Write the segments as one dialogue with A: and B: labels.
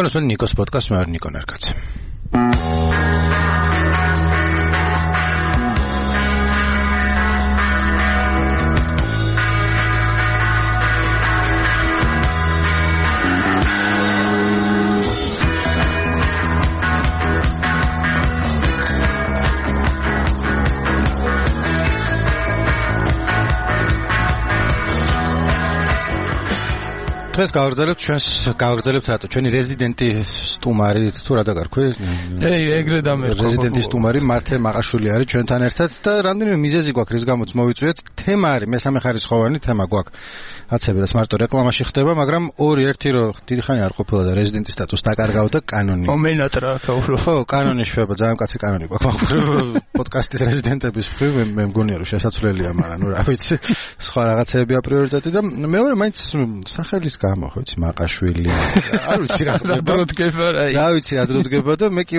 A: თქვენ ნიკოს პოდკასტს, მე ვარ ნიკო ნარკაცი. დღეს გავაგრძელებთ რატო ჩვენი რეზიდენტი სტუმარი თუ რა დაგარქვი?
B: ეგრე დამერყვა.
A: რეზიდენტი სტუმარი მათე მაყაშვილი არის ჩვენთან ერთად და რამდენიმე მიზეზი გვაქვს რის გამოც მოვიწვიეთ. თემა არის მესამე ხარისხოვანი თემა გვაქვს. აცები რაც მარტო რეკლამაში ხდება, მაგრამ ერთი რომ დიდი ხანი არ ყოფილა და რეზიდენტის სტატუსს დაკარგავდა კანონი.
B: მომენატრა ქაურო.
A: ხო, კანონი შვება, ძალიან კაცი კანონი გვაქვს. პოდკასტის რეზიდენტების მხრივ მე მგონია რომ შესაძლებელია, მაგრამ ნუ რა ვიცი, სხვა რაღაცებია პრიორიტეტი და მეორე მაინც სახელის გამო, ხო ვიცი, მაყაშვილი. არ ვიცი რა
B: დროდგება რა.
A: რა ვიცი რა დროდგება და მე კი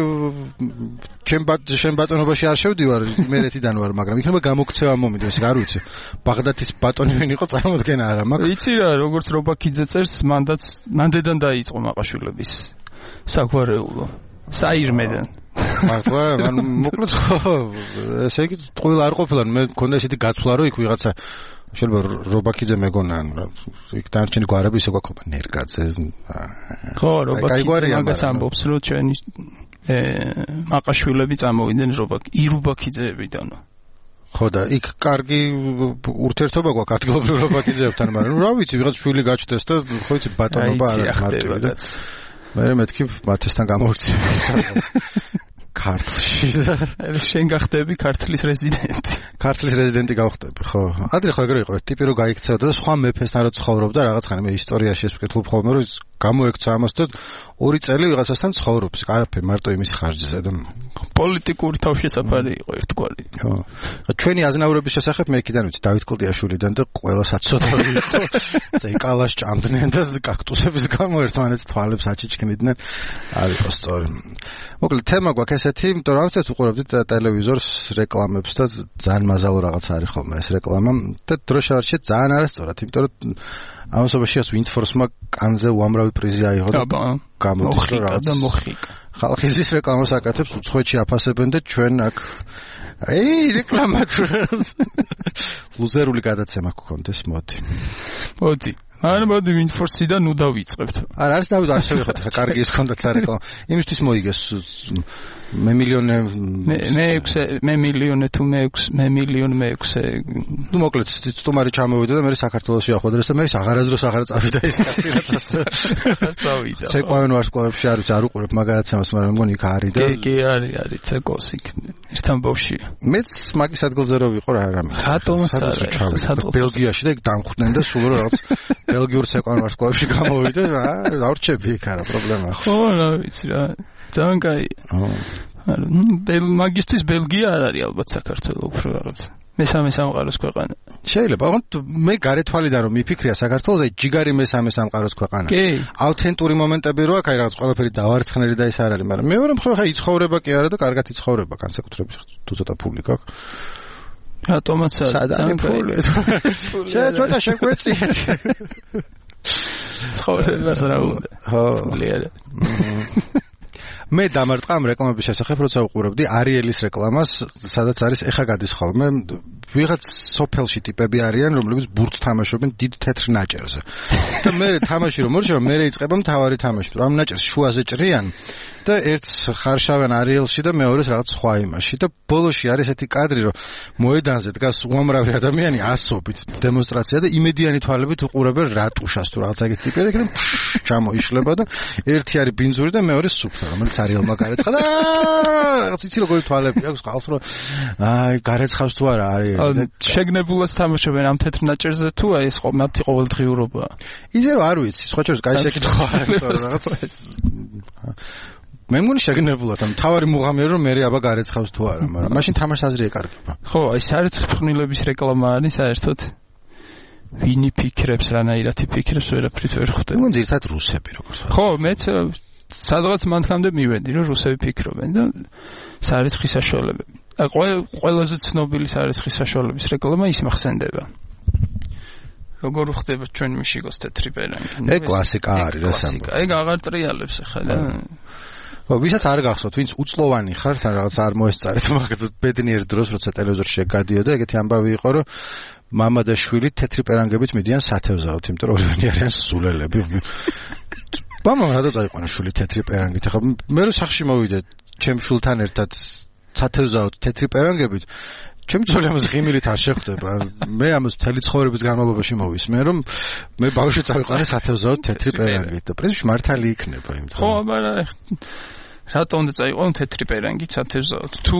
A: ჩემ ბატონობაში არ შევდივარ, იმერეთიდან ვარ, მაგრამ იქნება გამოქცევა მომიდოს, არ ვიცი. ბაღდათის ბატონი ვინ იყო წარმოდგენა არა მაქვს.
B: იცი რა, როგორც რობაქიძე წერს, მანდედან დაიწყო მაყაშვილების საგვარეულო. საირმედან.
A: მართლა, მოკლედ ხო, ესე იგი ტყუილ არ ყოფილა, მე მქონდა ესეთი გაცვლა, რომ იქ ვიღაცა შეიძლება რობაქიძე მეგონა, იქ დანარჩენი გვარები ისე გვაქვს, ნერგაძე.
B: ხო, რობაქიძე მაგას ამბობს, რომ ჩვენი მაყაშვილები წამოვიდნენ ირუბაქიძეებიდან. ხო და იქ კარგი ურთიერთობა გვაქვს ადგილობრივ რობაქიძეებთან, მაგრამ რა ვიცი, ვიღაც შვილი გაჩნდეს და ხო იცი ბატონობა არ მარტივი და მე მეთქი მათესთან გამოვიქცე ქართლში და შენ გახდები ქართლის რეზიდენტი.
A: ქართლის რეზიდენტი გავხდები, ხო. ადრე ხო ეგრე იყო, ტიპი რომ გაიქცეოდა და სხვა მეფესთან რო ცხოვრობდა, რაღაცხანი მე ისტორიაში ეს ვკითხულობ ხოლმე, რომ გამოექცა ამას და 2 წელი ვიღაცასთან ცხოვრობს, არაფერი მარტო იმის ხარჯზე და
B: პოლიტიკური თავშესაფარი იყო ერთგვარი.
A: ხო. ჩვენი აზნაურების შესახებ მე იქიდან ვიცი, დავით კლდიაშვილიდან და ყველას აცოდავი იყო. ზეკალას ჭამდნენ და კაქტუსების გამო ერთმანეთს თვალებს აჩიჩქნიდნენ. არ იყო სწორი. მოკლედ თემა გვაქვს ესეთი, იმიტომ რომ რაღაცას უყურებდით ტელევიზორს, რეკლამებს და ძალიან მაზალო რაღაც არის ხოლმე ეს რეკლამა და დროშ არჩეთ ძალიან არასწორად, იმიტომ რომ ამასობაში ვინდფორსმა კანზე უამრავი პრიზი აიღო და გამოდის რომ რაღაც ხალხი ზის რეკლამას აკეთებს, უცხოეთში აფასებენ და ჩვენ აქ რეკლამა თუ ლუზერული გადაცემა გქონდეს, მოდი.
B: არა, მოდი ვინდფორსიდან ნუ დავიწყებთ.
A: არა, არის დავით არ შევიხოთ, ხა კარგი ის ქონდათ სარეკლამო. იმისთვის მოიგეს მე მილიონე თუ მე მილიონე. ნუ მოკლედ სტუმარი ჩამოვიდა და მე საქართველოში ახვედრეს და მე აღარასდროს აღარ წავიდა ის კაცი რაცაც.
B: არ წავიდა.
A: ცეკვავენ ვარსკვლავებში არ უყურებ მაგაცემას, მაგრამ მგონი იქ არის და
B: კი არის ცეკოს იქ ერთთან ბავშვია.
A: მეც მაგის ადგილზე რო ვიყო რა რამე.
B: რატომაც არა.
A: ბელგიაში და იქ დამხვდნენ და სულ რაღაც ბელგიურ ცეკვავენ ვარსკვლავებში გამოვიდა და დავრჩები იქ არა პრობლემა.
B: ხო, რა ვიცი რა. ძალიან კაია. მაგისტრის ბელგია არ არის ალბათ საქართველოს უფრო რაღაც. მესამე სამყაროს ქვეყანა.
A: შეიძლება, მე გარეთვალიდან რომ მიფიქრია საქართველოს, აი ჯიგარი მესამე სამყაროს ქვეყანა. ავთენტური მომენტები რო აქვს, აი რაღაც ყველაფერი დავარცხნელი და ის არ არის, მაგრამ მეორე მხრივ ხა იცხოვრება კი არა და კარგად იცხოვრება, განსაკუთრებით თუ ცოტა ფული გაქვს.
B: რატომაც
A: ძალიან ფული. ცოტა შეგვეციეთ.
B: ცხოვრება რა უნდა.
A: ხო. მე დამარტყა ამ რეკლამების შესახებ, როცა უყურებდი არიელის რეკლამას, სადაც არის ეხა გადის ხოლმე ვიღაც სოფელში ტიპები არიან, რომლებიც ბურთს თამაშობენ დიდ თეთრ ნაჭერზე. და მე თამაში რომ მორჩება, მე ეწება მთავარი თამაში, რომ ამ ნაჭერს შუაზე ჭრიან და ერთს ხარშავენ არიელში და მეორეს რაღაც სხვა იმაში და ბოლოში არის ესეთი კადრი, რომ მოედანზე დგას უამრავი ადამიანი ასობით დემონსტრაცია და იმედიანი თვალებით უყურებენ რატუშას თუ რაღაც ეგეთი ტიპები და ჩამოიშლება და ერთი არის ბინძური და მეორე სუფთა, რომელიც არიელმა გარეცხა და რაღაც იცი როგორი თვალები აქვს ყავს რომ აი გარეცხავს თუ არა არის
B: შეგნებულად თამაშობენ ამ თეთრ ნაჭერზე თუ აი ეს მათი ყოველდღიურობა.
A: ისე რომ არ ვიცი, სხვა შორის კაი შეკითხვა არის რაღაც მე მგონი შეგნებულად ამ თავარი მუღამია რომ მე აბა გარეცხავს თუ არა, მაგრამ მაშინ თამაშს აზრი ეკარგება.
B: ხო, აი საერთოდ ფხვნილების რეკლამა არის საერთოდ ვინი ფიქრებს, რანაირად ფიქრებს, ვერაფრით ვერ ხვდები.
A: მგონი ერთად რუსები როგორც.
B: ხო, მეც სადღაც მანქანამდე მივედი რომ რუსები ფიქრობენ და სარიცხის საშუალებები. ყველაზე ცნობილი სარიცხის საშუალების რეკლამა ის მახსენდება.
C: როგორ ხდება ჩვენ მიშიგოს თეთრი პერანგი.
A: ეგ კლასიკა არის რა სამბო.
C: ეგ აღარ ტრიალებს ახლა და
A: ვისაც არ გახსოვთ, ვინც უწლოვანი ხარ, თან რაღაც არ მოესწარეთ, მაგაც ბედნიერ დროს, როცა ტელევიზორში გადიოდა, ეგეთი ამბავი იყო, რომ მამა და შვილი თეთრი პერანგებით მიდიან სათევზაოდ, იმიტომ რომ ორივენი არიან სულელები. მამამ რატო წაიყვანა შვილი თეთრი პერანგით? ახლა მე რო სახში მოვიდე, ჩემ შულთან ერთად სათევზაოდ თეთრი პერანგებით, ჩემ ძოლებს ღიმილით არ შეხვდება. მე ამას მთელი ცხოვრების განმავლობაში მოვისმენ, რომ მე ბავშვი წავიყვანე სათევზაოდ თეთრი პერანგით და პრინციპში მართალი იქნება იმ
C: ხო, მაგრამ რატო უნდა წაიყვანო თეთრი პერანგი სათევზაოდ? თუ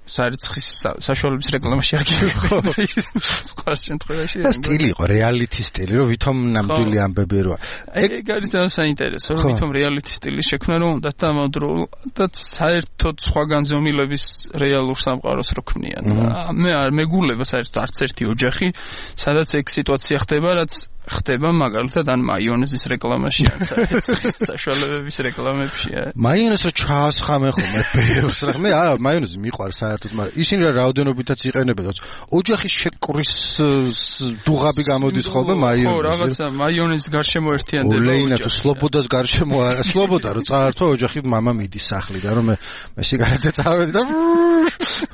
C: სარიცხის საშუალების რეკლამაში არ გიგებია. სხვა შემთხვევაში
A: ეს სტილი იყო, რეალიტი სტილი, რომ ვითომ ნამდვილი ამბები როა.
C: ეგ არის ძალიან საინტერესო, რომ ვითომ რეალიტი სტილი შექმნა, რომ უნდა დამავდროულად საერთოდ სხვა განზომილების რეალურ სამყაროს რო ქმნიან. მე არ მეგულება საერთოდ არც ერთი ოჯახი, სადაც ეგ სიტუაცია ხდება, რაც ხდება მაგალითად ან მაიონეზის რეკლამაში ან საშუალებების რეკლამებშია.
A: მაიონეზს რო ჩაასხამე ხოლმე ბევრს რა. მე არა მაიონეზი მიყვარს საერთოდ, მაგრამ ისინი რა რაოდენობითაც იყენებენ. ოჯახის შეკვრის დუღაბი გამოდის ხოლმე მაიონეზი.
C: ხო, რაღაცა მაიონეზის გარშემო ერთიანდება.
A: ლეინათო სლობოდას გარშემო არა, სლობოდა რო წაართვა ოჯახი მამა მიდის სახლიდან, რომ მე სიგარეტზე წავედი და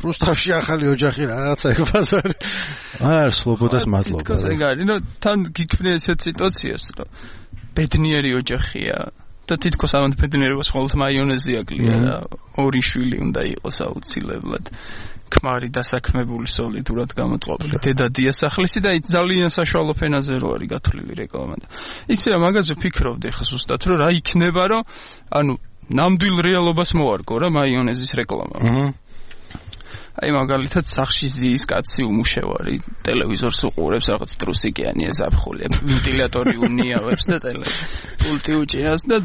A: რუსთავში ახალი ოჯახი რაღაცა ეგ ბაზარი. არა, სლობოდას მადლობა.
C: თქოს ეგ არის, ნუ თან ესეთ სიტუაციას, რომ ბედნიერი ოჯახია და თითქოს ამათ ბედნიერებას მხოლოდ მაიონეზი აკლია და ორი შვილი უნდა იყოს აუცილებლად. ქმარი დასაქმებული სოლიდურად გამოწყობილი დედა დიასახლისი და ძალიან საშუალო ფენაზე რო არის გათვლილი რეკლამა. იცი რა, მაგაზე ვფიქრობდი ხა ზუსტად, რომ რა იქნება, რომ ანუ ნამდვილ რეალობას მოარგო რა მაიონეზის რეკლამა. აი მაგალითად სახში ზის კაცი უმუშევარი ტელევიზორს უყურებს, რაღაც ტრუსიკიანი ზაფხული, ვენტილატორი უნიავებს და პულტი უჭირავს და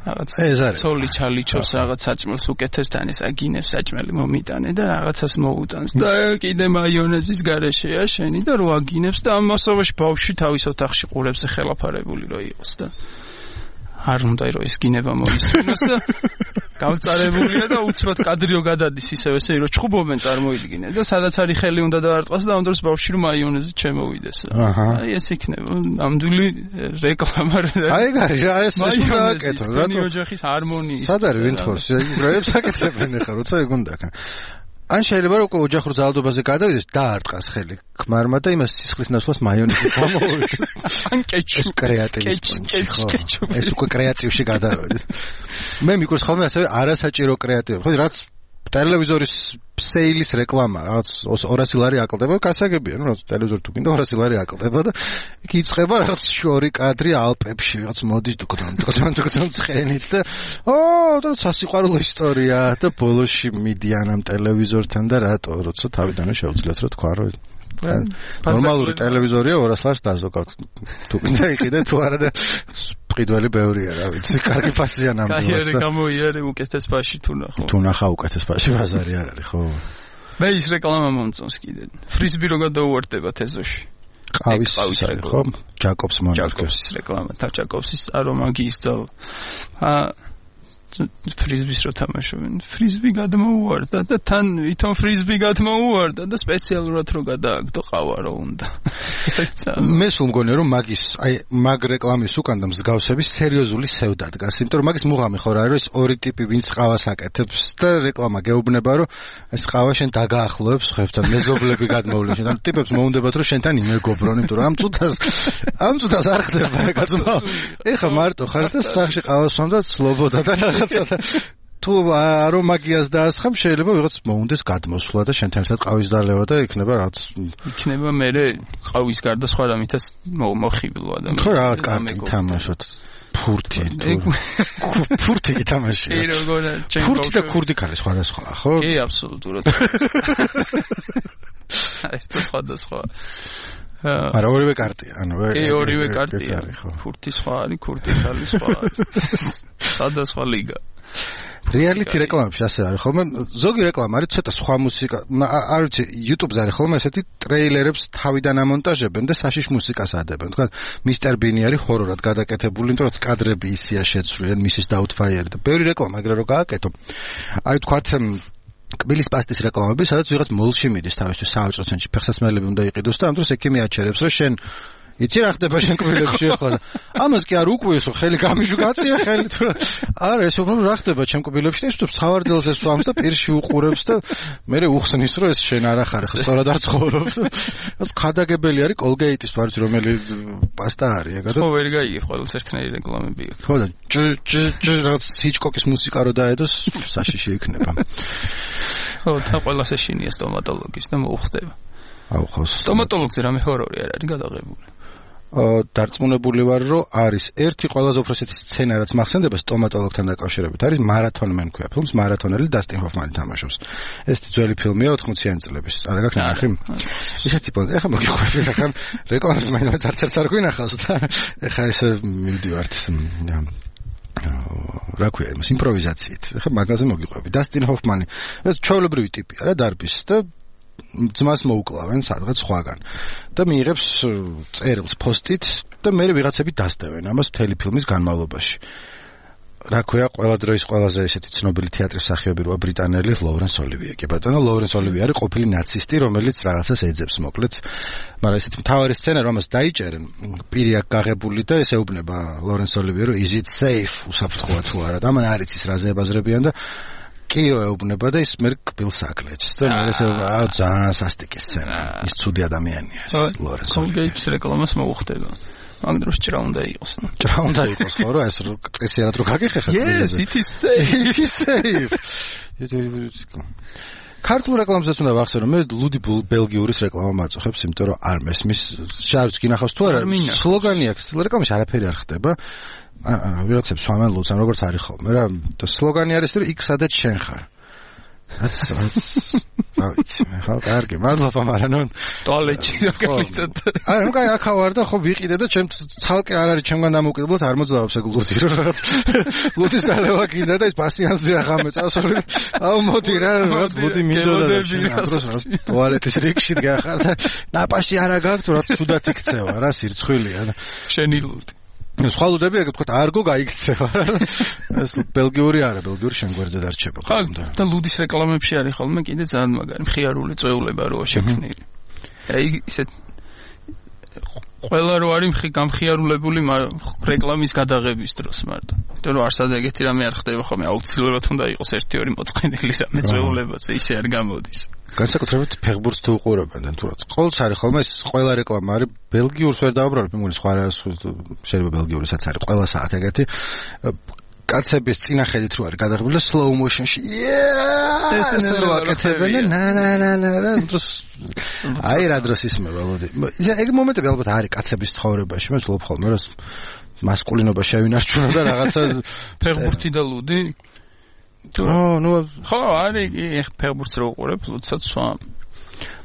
C: რაღაც ცოლი ჩალიჩოს რაღაც საჭმელს უკეთესთან ეს აგინებს საჭმელი მომიტანე და რაღაცას მოუტანს და კიდე მაიონეზის გარეშეა შენი და რო აგინებს და ამ მასობაში ბავშვი თავის ოთახში ყურებს ხელაფარებული რო იყოს და არ უნდა რომ ეს გინება მოისმინოს და გამწარებულია და უცბად კადრიო გადადის ისევ ესე რომ ჩხუბობენ წარმოიდგინე და სადაც არის ხელი უნდა დაარტყას და ამ დროს ბავშვი რომ მაიონეზი ჩემოვიდეს. აი ეს იქნება ნამდვილი რეკლამა.
A: აი ეგ არის რა, ეს უნდა აკეთო
C: რატო ოჯახის ჰარმონიის.
A: სად არის ვინთორს ეგრეებს აკეთებენ ახლა როცა ეგ უნდა კან. ან შეიძლება რომ ოჯახურ ძალადობაზე გადავიდეს დაარტყას ხელი ქმარმა და იმას სისხლის ნაცვლად მაიონეზი გამოვიდეს.
C: ან კეჩუპ
A: კეჩუპ ეს უკვე კრეატივში გადავიდეს. მე მიყვარს ხოლმე ასევე არასაჭირო კრეატივი. ხო რაც ტელევიზორის სეილის რეკლამა რაღაც 200 ლარი აკლდება, გასაგებია, ნუ რაღაც ტელევიზორი თუ გინდა 200 ლარი აკლდება და იქ იწყება რაღაც შორი კადრი ალპებში, რაღაც მოდის დუკდან ცხენით და და სასიყვარულო ისტორია და ბოლოში მიდიან ამ ტელევიზორთან და რატო, როცა თავიდანვე შეუძლიათ რა თქვა, რომ ნორმალური ტელევიზორია 200 ლარს დაზოგავთ. თუ გინდა იყიდე თუ არა და ყიდველი ბევრია რა ვიცი, კარგი ფასია ნამდვილად.
C: კარიერა გამოიარე უკეთეს ფასში თუ ნახო.
A: თუ ნახა უკეთეს ფასში ბაზარი არ არის, ხო?
C: მე ის რეკლამა მომწონს კიდე. ფრიზბი რო გადაუვარდება თეზოში.
A: ყავის რეკლამა, ხო? ჯაკობს მონარქოს
C: რეკლამა, ჯაკობსის არომაგიის ძალ. ფრიზბის რო თამაშობენ, ფრიზბი გადმოუვარდა და თან ვითომ ფრიზბი გადმოუვარდა და სპეციალურად რო გადააგდო ყავა რო უნდა.
A: მე სულ მგონია რომ მაგ რეკლამის უკან და მსგავსების სერიოზული სევდა დგას, იმიტომ რომ მაგის მუღამი ხო რა არის, ორი ტიპი ვინც ყავას აკეთებს და რეკლამა გეუბნება რომ ეს ყავა შენ დაგაახლოებს ხებთან, მეზობლები გადმოვლენ შენ, ანუ ტიპებს მოუნდებათ რომ შენთან იმეგობრონ, იმიტომ რომ ამ წუთას არ ხდება კაცო. ეხა მარტო ხარ და სახში ყავას ვამდა სლობოდა და თუ არომაგიას დაასხამ შეიძლება ვიღაც მოუნდეს გადმოსვლა და შენთან ერთად ყავის დალევა და იქნება რაღაც
C: იქნება მე ყავის გარდა სხვა რამითაც მოხიბლო ადამიანი.
A: ხო რაღაც კარგი თამაშოთ. ფურთი თამაში. ფურთი და ქურდი ქალი სხვადასხვაა, ხო?
C: კი, აბსოლუტურად. ეს სხვადასხვა.
A: არა ორივე კარტია, ანუ
C: ორივე კარტია. ფურთი სხვა არის, ქურდი ხალი სხვა არის. სხვადასხვა ლიგა.
A: რეალიტი რეკლამებში ასე არის ხოლმე, ზოგი რეკლამა არის ცოტა სხვა მუსიკა, არ ვიცი, YouTube-ზე არის ხოლმე ესეთი ტრეილერებს თავიდან ამონტაჟებენ და საშიშ მუსიკას ადებენ. თქვა Mr. Bean არის ჰორორად გადაკეთებული, იმიტომ რომ კადრები ისია შეცვლილი, Mrs. Doubtfire და ბევრი რეკლამა ეგრე რო გააკეთო. აი თქვა კბილის პასტის რეკლამები, სადაც ვიღაც მოლში მიდის თავისთვის საავჭრო ცენტრში, ფეხსაცმელები უნდა იყიდოს და ამ დროს ექიმი აჩერებს, რომ შენ იცი რა ხდება შენ კბილებში ახლა ამას კი არ უკვიეს ხო ხელი გამიჟუ გაწია ხელი თუ არა ეს უფრო რა ხდება ჩემ კბილებში ეს თუ სავარძელს ეს ვამს და პირში უყურებს და მე უხსნის რომ ეს შენ არ ახარ ხო სწორად არ ცხოვრობს ეს ხადაგებელი არის კოლგეიტის ვარჯ რომელი პასტა არის ეგა და
C: ხო ვერ გაიგე ყოველს ერთნაირი რეკლამები აქვს
A: ხო და რაღაც ჰიჩკოკის მუსიკა რო დაედოს საშიში იქნება
C: ხო თან ყველას ეშინია სტომატოლოგის და მოუხდება
A: აუ ხო
C: სტომატოლოგზე რამე ჰორორი არ არის გადაღებული
A: დარწმუნებული ვარ რომ არის ერთი ყველაზე უფრო ესეთი სცენა რაც მახსენდება სტომატოლოგთან დაკავშირებით არის მარათონმენ ქვია ფილმს მარათონელი დასტინ ჰოფმანი თამაშობს ეს ძველი ფილმია 80-იანი წლების არა გაქვს ნახე ისეთი პონტ ეხლა მოგიყვები ახლა რეკლამას მაინც არც არ გვინახავს და ეხლა ეს მივდივართ რა ქვია იმას იმპროვიზაციით ეხლა მაგაზე მოგიყვები დასტინ ჰოფმანი ეს ჩვეულებრივი ტიპია რა დარბის და ძმას მოუკლავენ სადღაც სხვაგან და მიიღებს წერილს პოსტით და მე ვიღაცები დასდევენ ამას მთელი ფილმის განმავლობაში რა ქვია ყველა დროის ყველაზე ესეთი ცნობილი თეატრის მსახიობი როა ბრიტანელი ლოურენს ოლივიე კი ბატონო ლოურენს ოლივიე არის ყოფილი ნაცისტი რომელიც რაღაცას ეძებს მოკლედ მაგრამ ესეთი მთავარი სცენა რომ ამას დაიჭერენ პირი აქ გაღებული და ეს ეუბნება ლოურენს ოლივიე რომ is it safe უსაფრთხოა თუ არა და მან არ იცის რა ზებაზრებიან და კიო ეუბნება და ის მე კბილს აკლეჭს და მე ესე ძალიან სასტიკი სცენა ის ცუდი ადამიანია ეს ლორენს
C: კოლგეიტის რეკლამას მოუხდება მაგ დროს ჭრა უნდა იყოს
A: ჭრა უნდა იყოს ხო რა ეს წესიერად რო გაგიხეხა
C: yes it is safe
A: ქართულ რეკლამასაც უნდა ვახსენო მე ლუდი ბელგიურის რეკლამა მაწუხებს იმიტომ რომ არ მესმის შარც გინახავს თუ არა სლოგანი აქვს რეკლამაში არაფერი არ ხდება ვიღაცებს სვამენ ლუდს ან როგორც არის ხოლმე რა და სლოგანი არის რომ იქ სადაც შენ ხარ რაც ვიცი მე ხო კარგი მადლობა მაგრამ ნუ
C: ტუალეტში მაგალითად
A: არა ნუ კაი აქა ვარ და ხო ვიყიდე და ჩემ ცალკე არ არის ჩემგან დამოუკიდებლად არ მოძლავს ეგ ლუდი რომ რაღაც ლუდის დალევა კიდე და ის პასიანსზე აღამე წასული აუ მოდი რა რაღაც ლუდი მინდოდა ტუალეტის რიგში გახარ და ნაპაში არა გაქვს თუ რა თუდად იქცევა რა სირცხვილია და
C: შენი ლუდი
A: სხვა ლუდები ეგ თქვა არგო გაიქცევა რა ეს ბელგიური არა ბელგიური შენგვერდზე დარჩება
C: ხო და ლუდის რეკლამებში არის ხოლმე კიდე ძალიან მაგარი მხიარული წვეულება როა შექმნილი აი ისე ყველა რო არის გამხიარულებული რეკლამის გადაღების დროს მარტო იმიტომ რომ არსად ეგეთი რამე არ ხდება ხოლმე აუცილებლად უნდა იყოს 1-2 მოწყენილი რამე წვეულებაზე ისე არ გამოდის
A: განსაკუთრებით ფეხბურთს თუ უყურებენ თუ რა ყოველთვის არის ხოლმე ეს ყველა რეკლამა არის ბელგიურს ვერ დავუბრალებ მეგონი სხვა რა შეიძლება ბელგიურისაც არის ყველას აქვს ეგეთი კაცების წინახედით რო არის გადაღებული slow motion-ში ეს რო აკეთებენ და დროს აი რა დროს ისმება ლოდი ეგ მომენტები ალბათ არის კაცების ცხოვრებაში მე ვცდილობ ხოლმე რომ მასკულინობა შევინარჩუნო და რაღაცა
C: ფეხბურთი და ლუდი ხო არის ფეხბურთს რო უყურებ ლუდსაც სვამ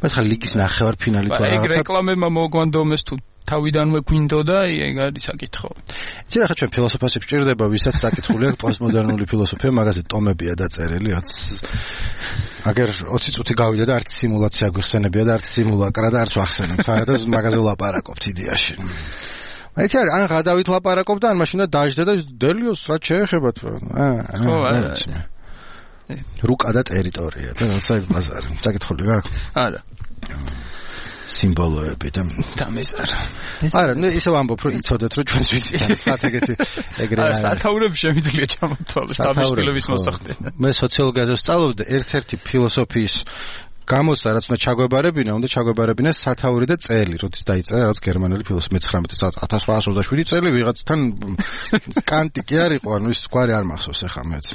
A: მას ხა ლიგის ნახევარ ფინალი თუ
C: რაღაცა ეგ რეკლამებმა მოგვანდომეს თუ თავიდანვე გვინდოდა ეგ არის საკითხო
A: იცი რა ხა ჩვენ ფილოსოფიას გვჭირდება ვისაც საკითხული აქვს პოსტმოდერნული ფილოსოფია მაგაზე ტომებია დაწერილი აგერ 20 წუთი გავიდა და არც სიმულაცია გვიხსენებია და არც სიმულაკრა და არც ვახსენებ არა და მაგაზე ვლაპარაკობთ იდეაში აიცი ან გადავით ლაპარაკობ და ან მაშინ და დაждდა და დელიოს რა შეეხებათ
C: ხო არა
A: რუკა და ტერიტორია და რაცა ეგ ბაზარი საკითხული გაქვს
C: არა
A: სიმბოლოები და მეს არა ნუ ისე ვამბობ რომ იცოდეთ რომ ჩვენს ვიცით რა ეგეთი ეგრე
C: არა სათაურები შემიძლია ჩამოთვალოს დამშტილების მოსახდენა
A: მე სოციოლოგიაზე ვსწავლობდი ერთ-ერთი ფილოსოფიის გამოსა რაც უნდა ჩაგვებარებინა სათაური და წელი როდის დაიწერა რაღაც გერმანელი ფილოსოფი 19 წელს 1827 წელი ვიღაცთან კანტი კი არ იყო ანუ ის გვარი არ მახსოვს ახლა მეც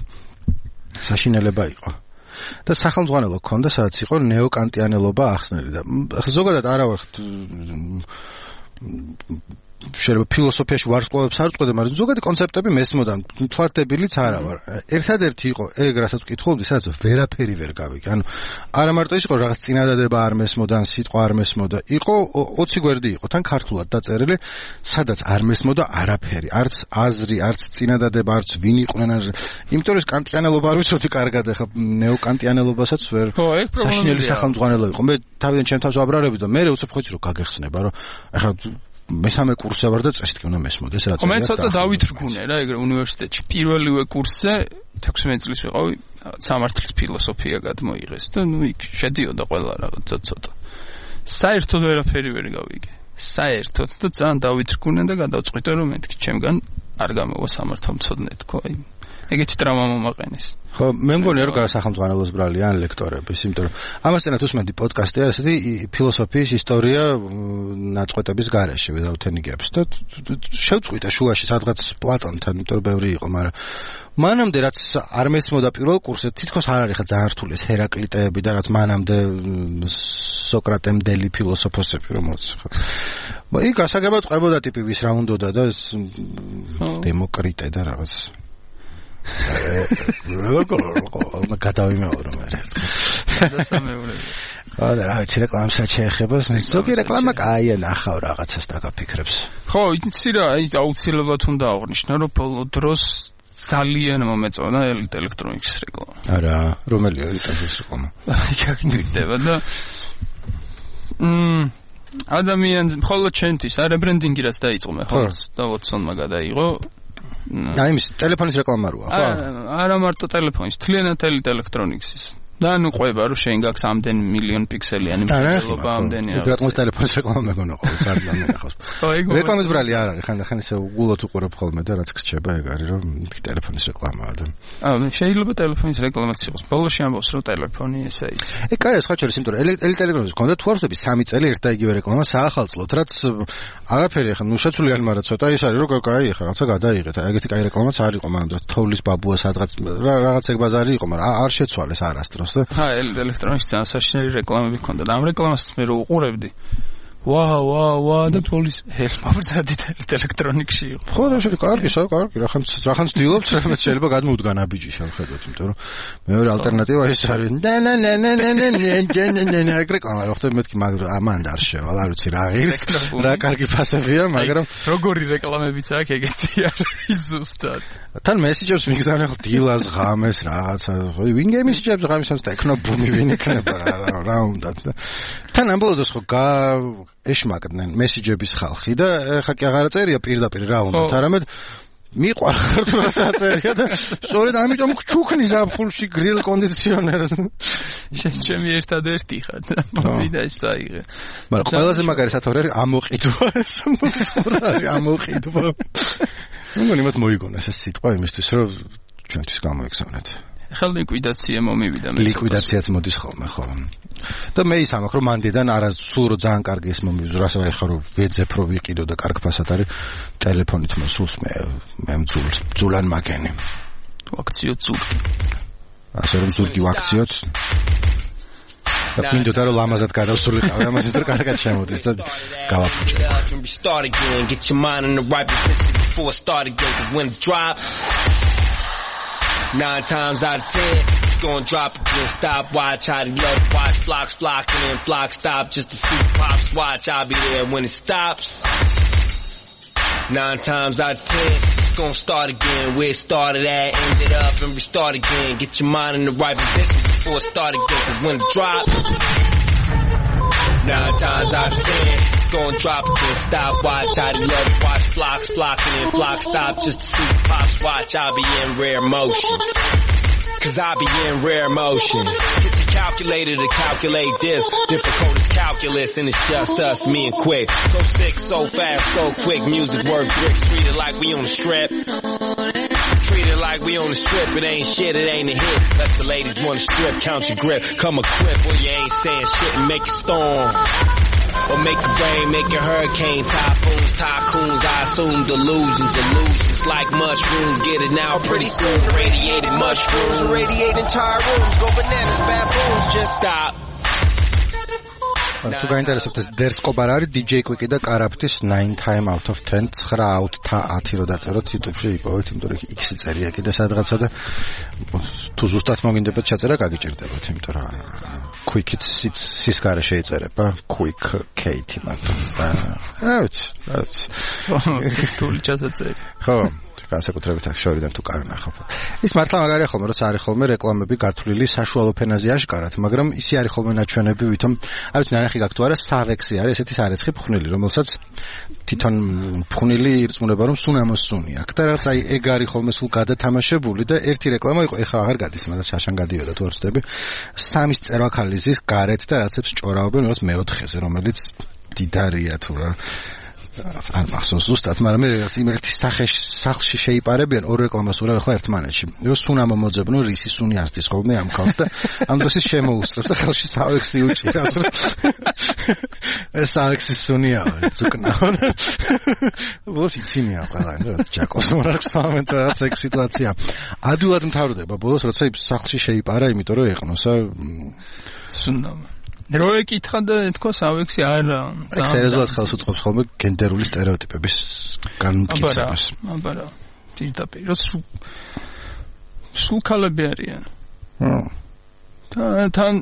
A: საშინელება იყო და სახელმძღვანელო ქონდა სადაც იყო ნეოკანტიანელობა ახსნელი და ზოგადად არა ვარ შეიძლება ფილოსოფიაში ვარსკვლავებს არ წყვეტე, მაგრამ ზოგადი კონცეპტები მესმოდა, თვალდებილიც არა ვარ. ერთადერთი იყო ეგ, რასაც ვკითხულობდი, სადაც ვერაფერი ვერ გავიგე. ანუ არა მარტო ის იყო რაღაც წინადადება არ მესმოდა, სიტყვა არ მესმოდა. იყო 20 გვერდი იყო, თან ქართულად დაწერილი, სადაც არ მესმოდა არაფერი, არც აზრი, არც წინადადება, არც ვინ იყვნენ, იმიტომ რომ კანტიანელობა არ ვიცოდი კარგად, ახლა ნეოკანტიანელობასაც ვერ საშინელი სახელმძღვანელო იყო. მე თავიდან ჩემ თავს ვაბრალები და მე უცებ ხოიცი რომ გაგეხსნება, რომ ახლა მესამე კურსზე ვარ და წესით კი უნდა მესმოდეს რა
C: წელი. მე ცოტა დავითრგუნე რა ეგრე უნივერსიტეტში. პირველივე კურსზე 16 წლის ვიყავი, სამართლის ფილოსოფია გადმოიღეს და ნუ იქ შედიოდა ყველა რაღაცა ცოტა. საერთოდ ვერაფერი ვერ გავიგე. საერთოდ და ძალიან დავითრგუნე და გადავწყვიტე რომ მეთქი ჩემგან არ გამოვა სამართალმცოდნე თქო აი ეგეთი ტრაუმა მომაყენეს
A: ხო მე მგონია რომ სახელმწიფოს ბრალია ან ლექტორების იმიტომ რომ ამასთანავე უსმენდი პოდკასტია ესეთი ფილოსოფიის ისტორია ნაწყვეტების გარეშე ვიდაუთენიგებს და შევწყვიტე შუაში სადღაც პლატონთან იმიტომ რომ ბევრი იყო მაგრამ მანამდე რაც არ მესმოდა პირველ კურსზე თითქოს არ არის ხა ძალიან რთული ეს ჰერაკლიტეები და რაც მანამდე სოკრატემდელი ფილოსოფოსები რომ მოც ხო იქ გასაგებად ყვებოდა ტიპი ვის რა უნდოდა და ეს დემოკრიტე და რაღაც გადავიმეორო მე და რა ვიცი რეკლამასაც შეეხება ზოგი რეკლამა კაია ნახავ რაღაცას დაგაფიქრებს
C: ხო იცი რა აი აუცილებლად უნდა აღვნიშნო რომ ბოლო დროს ძალიან მომეწონა ელექტრონიკის რეკლამა
A: არა რომელი ელექტრონიკის რეკლამა
C: გაგნივდება და ადამიანს მხოლოდ ჩემთვის არა ბრენდინგი რაც დაიწყო მე ხო და ვოტსონმა გადაიღო
A: აი მის ტელეფონის რეკლამა როა ხო
C: არა მარტო ტელეფონის თლიანად ელექტრონიკის და ნუ ყვება რომ შენ გაქვს ამდენ მილიონ პიქსელიანი მობილობა ამდენი
A: რა თქმა უნდა ტელეფონის რეკლამა მეგონა ხო ძალიან მენახავს რეკლამის ბრალი არ არის ხანდახან ისე უგულოდ უყურებ ხოლმე და რაც გრჩება ეგ არის რომ ტელეფონის რეკლამაა და
C: შეიძლება ტელეფონის რეკლამაც იყოს ბოლოში ამბობს რომ ტელეფონი ესე ის
A: ეგ კაია სხვა შორის იმიტომ რომ ელექტრონიკის კონდა თუ არ ვსები 3 წელი ერთ და იგივე რეკლამა საახალწლოდ რაც არაფერი ახლა ნუ შეცვლი არ მაგრამ ცოტა ის არის რომ კაი ახლა რაცა გადაიღეთ ეგეთი კაი რეკლამაც არ იყო მაგრამ თოვლის ბაბუა სადღაც რაღაც ეგ ბაზარი იყო მაგრამ არ შეცვალეს არასდროს
C: ჰა ელექტრონიკის ძალიან საშინელი რეკლამები ქონდა და ამ რეკლამას მე რო უყურებდი ვა და პოლის მობრძადი ელექტრონიკში იყო
A: ხო და შეიძლება კარგი რახანს დილობთ რამაც შეიძლება გადმოვდგან აბიჯი შევხედოთ იმიტომ რომ მეორე ალტერნატივა ის არის რეკლამა რო ხდება მეთქი მაგრამ ამან არ შევალ არ ვიცი რა ღირს რა კარგი ფასებია მაგრამ
C: როგორი რეკლამებიც აქვს ეგეთი არის ზუსტად
A: თან მესიჯებს მიგზავნე ხო დილას ღამეს რაღაცა ხო ვინგე მესიჯებს ღამესაც ტექნობუმი ვინ იქნება რა უნდა თან ამბოლოდოს ხო ეშმაკდნენ მესიჯების ხალხი და ხა კი აღარ წერია პირდაპირ რა უნდა არამედ მიყვარხარ თუ რა წერია და სწორედ ამიტომ ჩუქნი ზაფხულში გრილ კონდიციონერს
C: ჩემი ერთადერთი ხარ და მოვიდა ის აიღე
A: მაგრამ ყველაზე მაგარი სათორე არის ამოყიდვა ეს მოხდა ამოყიდვა ნუ იმათ მოიგონეს ეს სიტყვა იმისთვის რომ ჩვენთვის გამოიგზავნეთ
C: ხელ ლიკვიდაცია მომივიდა მე
A: ლიკვიდაციაც მოდის ხოლმე ხო და მე ის ამაქვს რომ მანდიდან არა სულ რო ძალიან კარგი ეს მომივიდა რასაც აი ხა რომ ვეძებ რო ვიყიდო და კარგ ფასად არის ტელეფონით მოსულს მე მძულან მაგენი
C: აქციო ზურგი
A: ასე რომ ზურგი ვაქციოთ და მინდოდა რომ ლამაზად გადავსულიყავ ამას ვიტყვი კარგად შემოდის და გავაფუჭე get your mind in the right position before start again when drop
D: 9 times out of 10, it's gonna drop again. Stop, watch, how they love, watch, flocks flocking in, flocks stop just to see pops. Watch, I'll be there when it stops. 9 times out of 10, it's gonna start again. Where it started at, ended up and restart again. Get your mind in the right position before it start again. 'Cause when it drops, 9 times out of 10, it's gonna drop again. Stop, watch, how they love, watch, flocks flocking in, flocks stop just to see pops. Watch, I'll be in rare motion. 'Cause I be in rare motion. Get your calculator to calculate this. Difficult as calculus and it's just us, me and Quick. So sick, so fast, so quick. Music work bricks. Treat it like we on the strip. Treat it like we on the strip. It ain't shit, it ain't a hit. Let the ladies wanna strip, count your grip. Come equipped where you ain't saying shit and make it storm. Or make it rain, make a hurricane, typhoons, tycoons, I assume delusions, illusions like mushrooms, get it now pretty soon, radiated mushrooms, radiate entire rooms, go bananas, baboons, just stop.
A: თუ გაინტერესებთ ეს დერსკობარ არის DJ Quick და კარაფტის 9 time out of 10 9 out 10 რო დაწეროთ YouTube-ში იპოვეთ, იმიტომ რომ X წერია კიდე სადღაცა და თუ ზუსტად მოგინდებათ ჩაწერა გაგიჭირდებათ, იმიტომ რომ Quick-იც სისკარე შეიწერება, Quick Kate მაგრამ რა ვიცი
C: თული ჩაწერე
A: ხო განსაკუთრებით აქ შორიდან თუ კარ ნახავ. ის მართლა მაგარია ხოლმე, როცა არის ხოლმე რეკლამები გათვლილი საშუალო ფენაზე აშკარად, მაგრამ ისი არის ხოლმე ნაჩვენები, ვითომ არ ვიცი ნანახი გაქვთ თუ არა, სავექსი არის ესეთი სარეცხი ფხვნილი, რომელსაც თვითონ ფხვნილი ირწმუნება რომ სუნამოს სუნი აქვს და რაღაც აი ეგ არის ხოლმე სულ გადათამაშებული და ერთი რეკლამა იყო, ეხლა აღარ გადის, მაგრამ შაშან გადიოდა თუ არ ვცდები. 3 წერვა ქალიზის გარეთ და რაღაცებს ჭორავენ რაღაც მეოთხეზე, რომელიც დიდარია თუ რა არ მახსოვს ზუსტად, მაგრამ მე იმერთი სახლში შეიპარებიან ორ რეკლამას ურავ ახლა ერთმანეთში. რო სუნამ მოძებნო რისი სუნი ასდის ხოლმე ამ ხალხს და ამ დროს შემოუსწრებს და ხელში სავექსი უჭირავს. ეს სავექსი სუნია, ზუკნა. ბოლოს იცინია ყველა, ჯაკოს მარკს მომენტ რაც ეგ სიტუაცია. ადვილად მთავრდება ბოლოს როცა სახლში შეიპარა, იმიტომ რომ ეყნოსა
C: სუნამ. რო ეკითხა და თქვა სავექსი არა.
A: ეგ სერიოზულად ხელს უწყობს ხოლმე გენდერული სტერეოტიპების განმტკიცებას.
C: აბარა. პირდაპირ რო სულ ქალები არიან. თან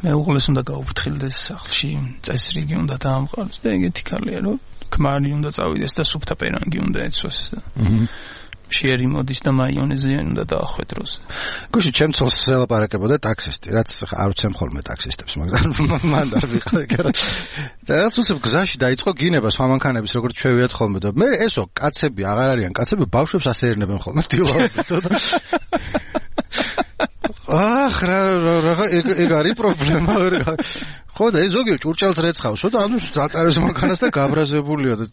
C: მეუღლეს უნდა გაუფრთხილდეს სახლში, წესრიგი უნდა დაამყაროს და ეგეთი ქალია, რომ ქმარი უნდა წავიდეს და სუფთა პერანგი უნდა ეცვას. შეერი მოდის და მაიონეზიანი უნდა დაახვედროს.
A: გუშინ ჩემს ელაპარაკებოდა ტაქსისტი, რაც არ ვცემ ხოლმე ტაქსისტებს, მაგრამ მან არ ვიყავ, და რაც უცებ გზაში დაიწყო გინება სხვა მანქანების როგორც ჩვევიათ ხოლმე და მე ესო კაცები აღარ არიან, კაცები ბავშვებს ასეერნებენ ხოლმე დილაობით და ეგ არის პრობლემა. ხო და ეს ზოგი ჭურჭელს რეცხავსო და ანუ დაწარეს მანქანას და გაბრაზებულია და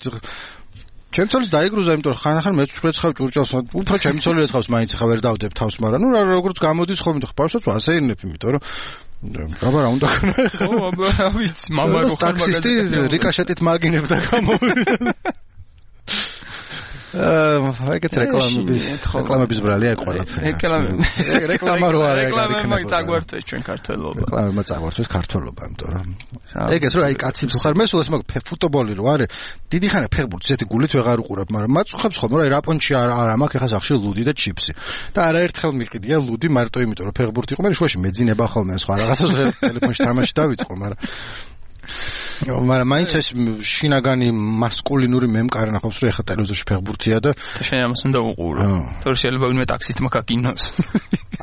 A: ჩემცოლის დაიგრუზა, იმიტომ რომ ხან-ხან მეც ვეცხავ ჭურჭელს, უფრო ჩემცოლი რეცხავს მაინც ხა ვერ დავდებ თავს, მაგრამ ნუ როგორც გამოდის ხოლმე და ბავშვებს ასეირნებ, იმიტომ რომ აბა რა უნდა ქნა.
C: ხო, აბა ვიცი, მამა რო ხარ
A: ტაქსისტი რიკაშეტით მაგინებდა გამოვიდა. ეგეთ რეკლამების ბრალია ეგ ყველაფერი. რეკლამა რო არა ეგ არის.
C: რეკლამა წაგვართვეს ჩვენ ქართველობა.
A: რეკლამა წაგვართვეს ქართველობა, იმიტომ რომ ეგეც რო აი კაცი თუ ხარ მე სულ ეს მაგ ფუტბოლი რო არის, დიდი ხანია ფეხბურთს ესეთი გულით ვეღარ უყურებ, მაგრამ მაწუხებს ხოლმე რომ აი რაპონჩი არ მაქვს ეხა სახში ლუდი და ჩიფსი. და არაერთხელ მიყიდია ლუდი მარტო იმიტომ რომ ფეხბურთი იყო, მე შუაში მეძინება ხოლმე სხვა რაღაცას ტელეფონში თამაში დავიწყო, მაგრამ მაინც ეს შინაგანი მასკულინური მემკარი ნახავს რომ ეხა ტელევიზორში ფეხბურთია და
C: შენ ამას უნდა უყურო. თორე შეიძლება ვინმე ტაქსისტმა გაკინოს.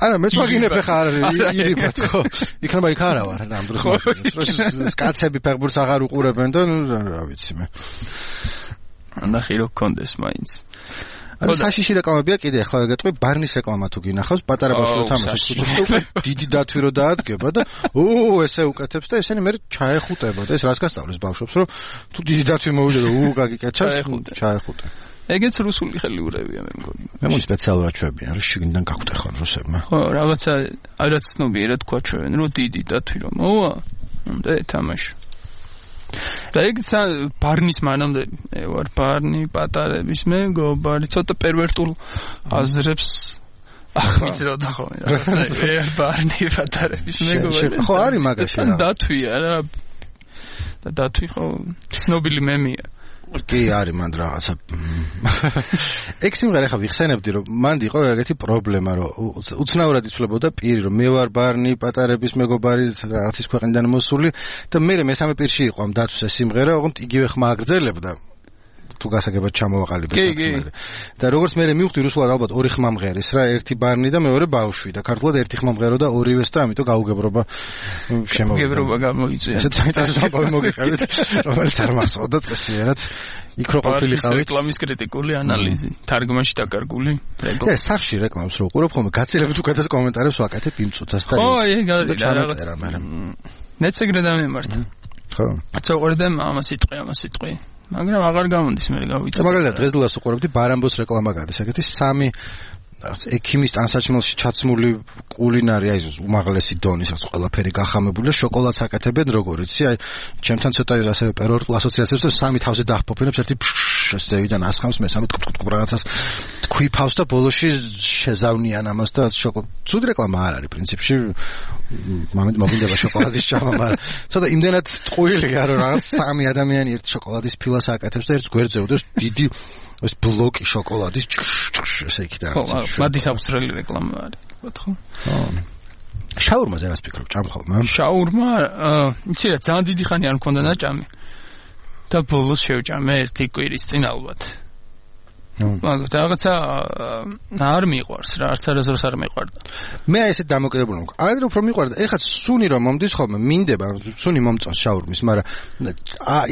A: არა, მეც მაგინებ ხა არ ირიბათ ხო. იქნება იქ არა ვარ ამ დროს. კაცები ფეხბურთს აღარ უყურებენ და რა ვიცი მე.
C: ნახე რო კონდეს მაინც.
A: საშიში რეკლამებია კიდე ახლა ვეგეტყვი ბარნის რეკლამა თუ გინახავს პატარა ბავშვი თამაშობს დიდი დათვი რო დაადგება და ესე უკეთებს და ესენი მე ჩაეხუტება და ეს რას გასწავლის ბავშვებს რომ თუ დიდი დათვი მოვიდა და გაგიკეჩას ჩაეხუტე.
C: ეგეც რუსული ხელიურებია მე მგონი.
A: მე მგონი სპეციალურად ჩვევიან რომ შიგნიდან გაგვტეხონ რუსებმა.
C: ხო, რაღაცა არაც ცნობიერად თქვა ჩვევენ რომ დიდი დათვი რომ მოვა უნდა ეთამაშო. და ეგ ბარნის მანამდე მე ვარ ბარნი პატარების მეგობარი ცოტა პერვერტულ აზრებს ახმის რო დახომ რაღაცა ბარნი პატარების მეგობარი
A: ხო არის მაგაში რა
C: დათვია რა და დათვი ხო ცნობილი მემია
A: კი არის მანდ რაღაცა ეგ სიმღერა ხა ვიხსენებდი რომ მანდ იყო ეგეთი პრობლემა რომ უცნაურად იცვლებოდა პირი რომ მე ვარ ბარნი პატარების მეგობარი რაღაცის ქვეყნიდან მოსული და მე მესამე პირში იყო ამ დათვს ეს სიმღერა ოღონდ იგივე ხმა აგრძელებდა თუ გასაგებად ჩამოვაყალიბე საქმე და როგორც მე მივხვდი რუსულად ალბათ ორი ხმა მღერის რა ერთი ბარნი და მეორე ბავშვი და ქართულად ერთი ხმა მღერო და ორივეს და ამიტომ გაუგებრობა შემოვიდა
C: გებრობა გამოიწვია
A: ესეც საერთოდ მოგიყავით რომელიც არ მახსოვდა წესიერად იქ რო ყოფილიყავით
C: რეკლამის კრიტიკული ანალიზი თარგმანში დაკარგული
A: და სახში რეკლამს რო უყურებ ხოლმე გაცილებით უკეთეს კომენტარებს ვაკეთებ იმ წუთას და
C: ხო ეგ არის რაღაცა მეც ეგრე დამემართა
A: ხო
C: აცა უყურე ამას სიტყვი მაგრამ აღარ გამოდის მე გავიწევ.
A: მაგალითად დღესდღეობას უყურებდი ბარამბოს რეკლამა გადის. ეგეთი სამი ექიმის ტანსაჩინელში ჩაცმული კულინარი აი უმაღლესი დონის რაც ყველაფერი გახამებული და შოკოლადს აკეთებენ როგორ იცი აი ჩემთან ცოტა ასევე პერორტულ ასოციაციებს და სამი თავზე დაახპოფინებს ერთი ზევიდან ასხამს მესამე რაღაცას თქვიფავს და ბოლოში შეზავნიან ამას და ცუდი რეკლამა არ არის პრინციპში მოგინდება შოკოლადის ჭამა მაგრამ ცოტა იმდენად ტყუილია რომ რაღაც სამი ადამიანი ერთ შოკოლადის ფილას აკეთებს და ერთს გვერდზე უდევს დიდი ეს ბლოკი შოკოლადის ესე იქ და
C: მადის ავსტრალი რეკლამა არის ხო
A: შაურმაზე რას ფიქრობ ჭამხალმა
C: შაურმა იცი რა ძალიან დიდი ხანი არ მქონდა ნაჭამი და ბოლოს შევჭამე ერთი კვირის წინ ალბათ მაგრამ რაღაცა არ მიყვარს რა არც არასდროს არ მიყვარდა
A: მე ესეთ დამოკიდებული მქონდა აი უფრო მიყვარდა ეხლა სუნი რომ მომდის ხოლმე მინდება სუნი მომწონს შაურმის მაგრამ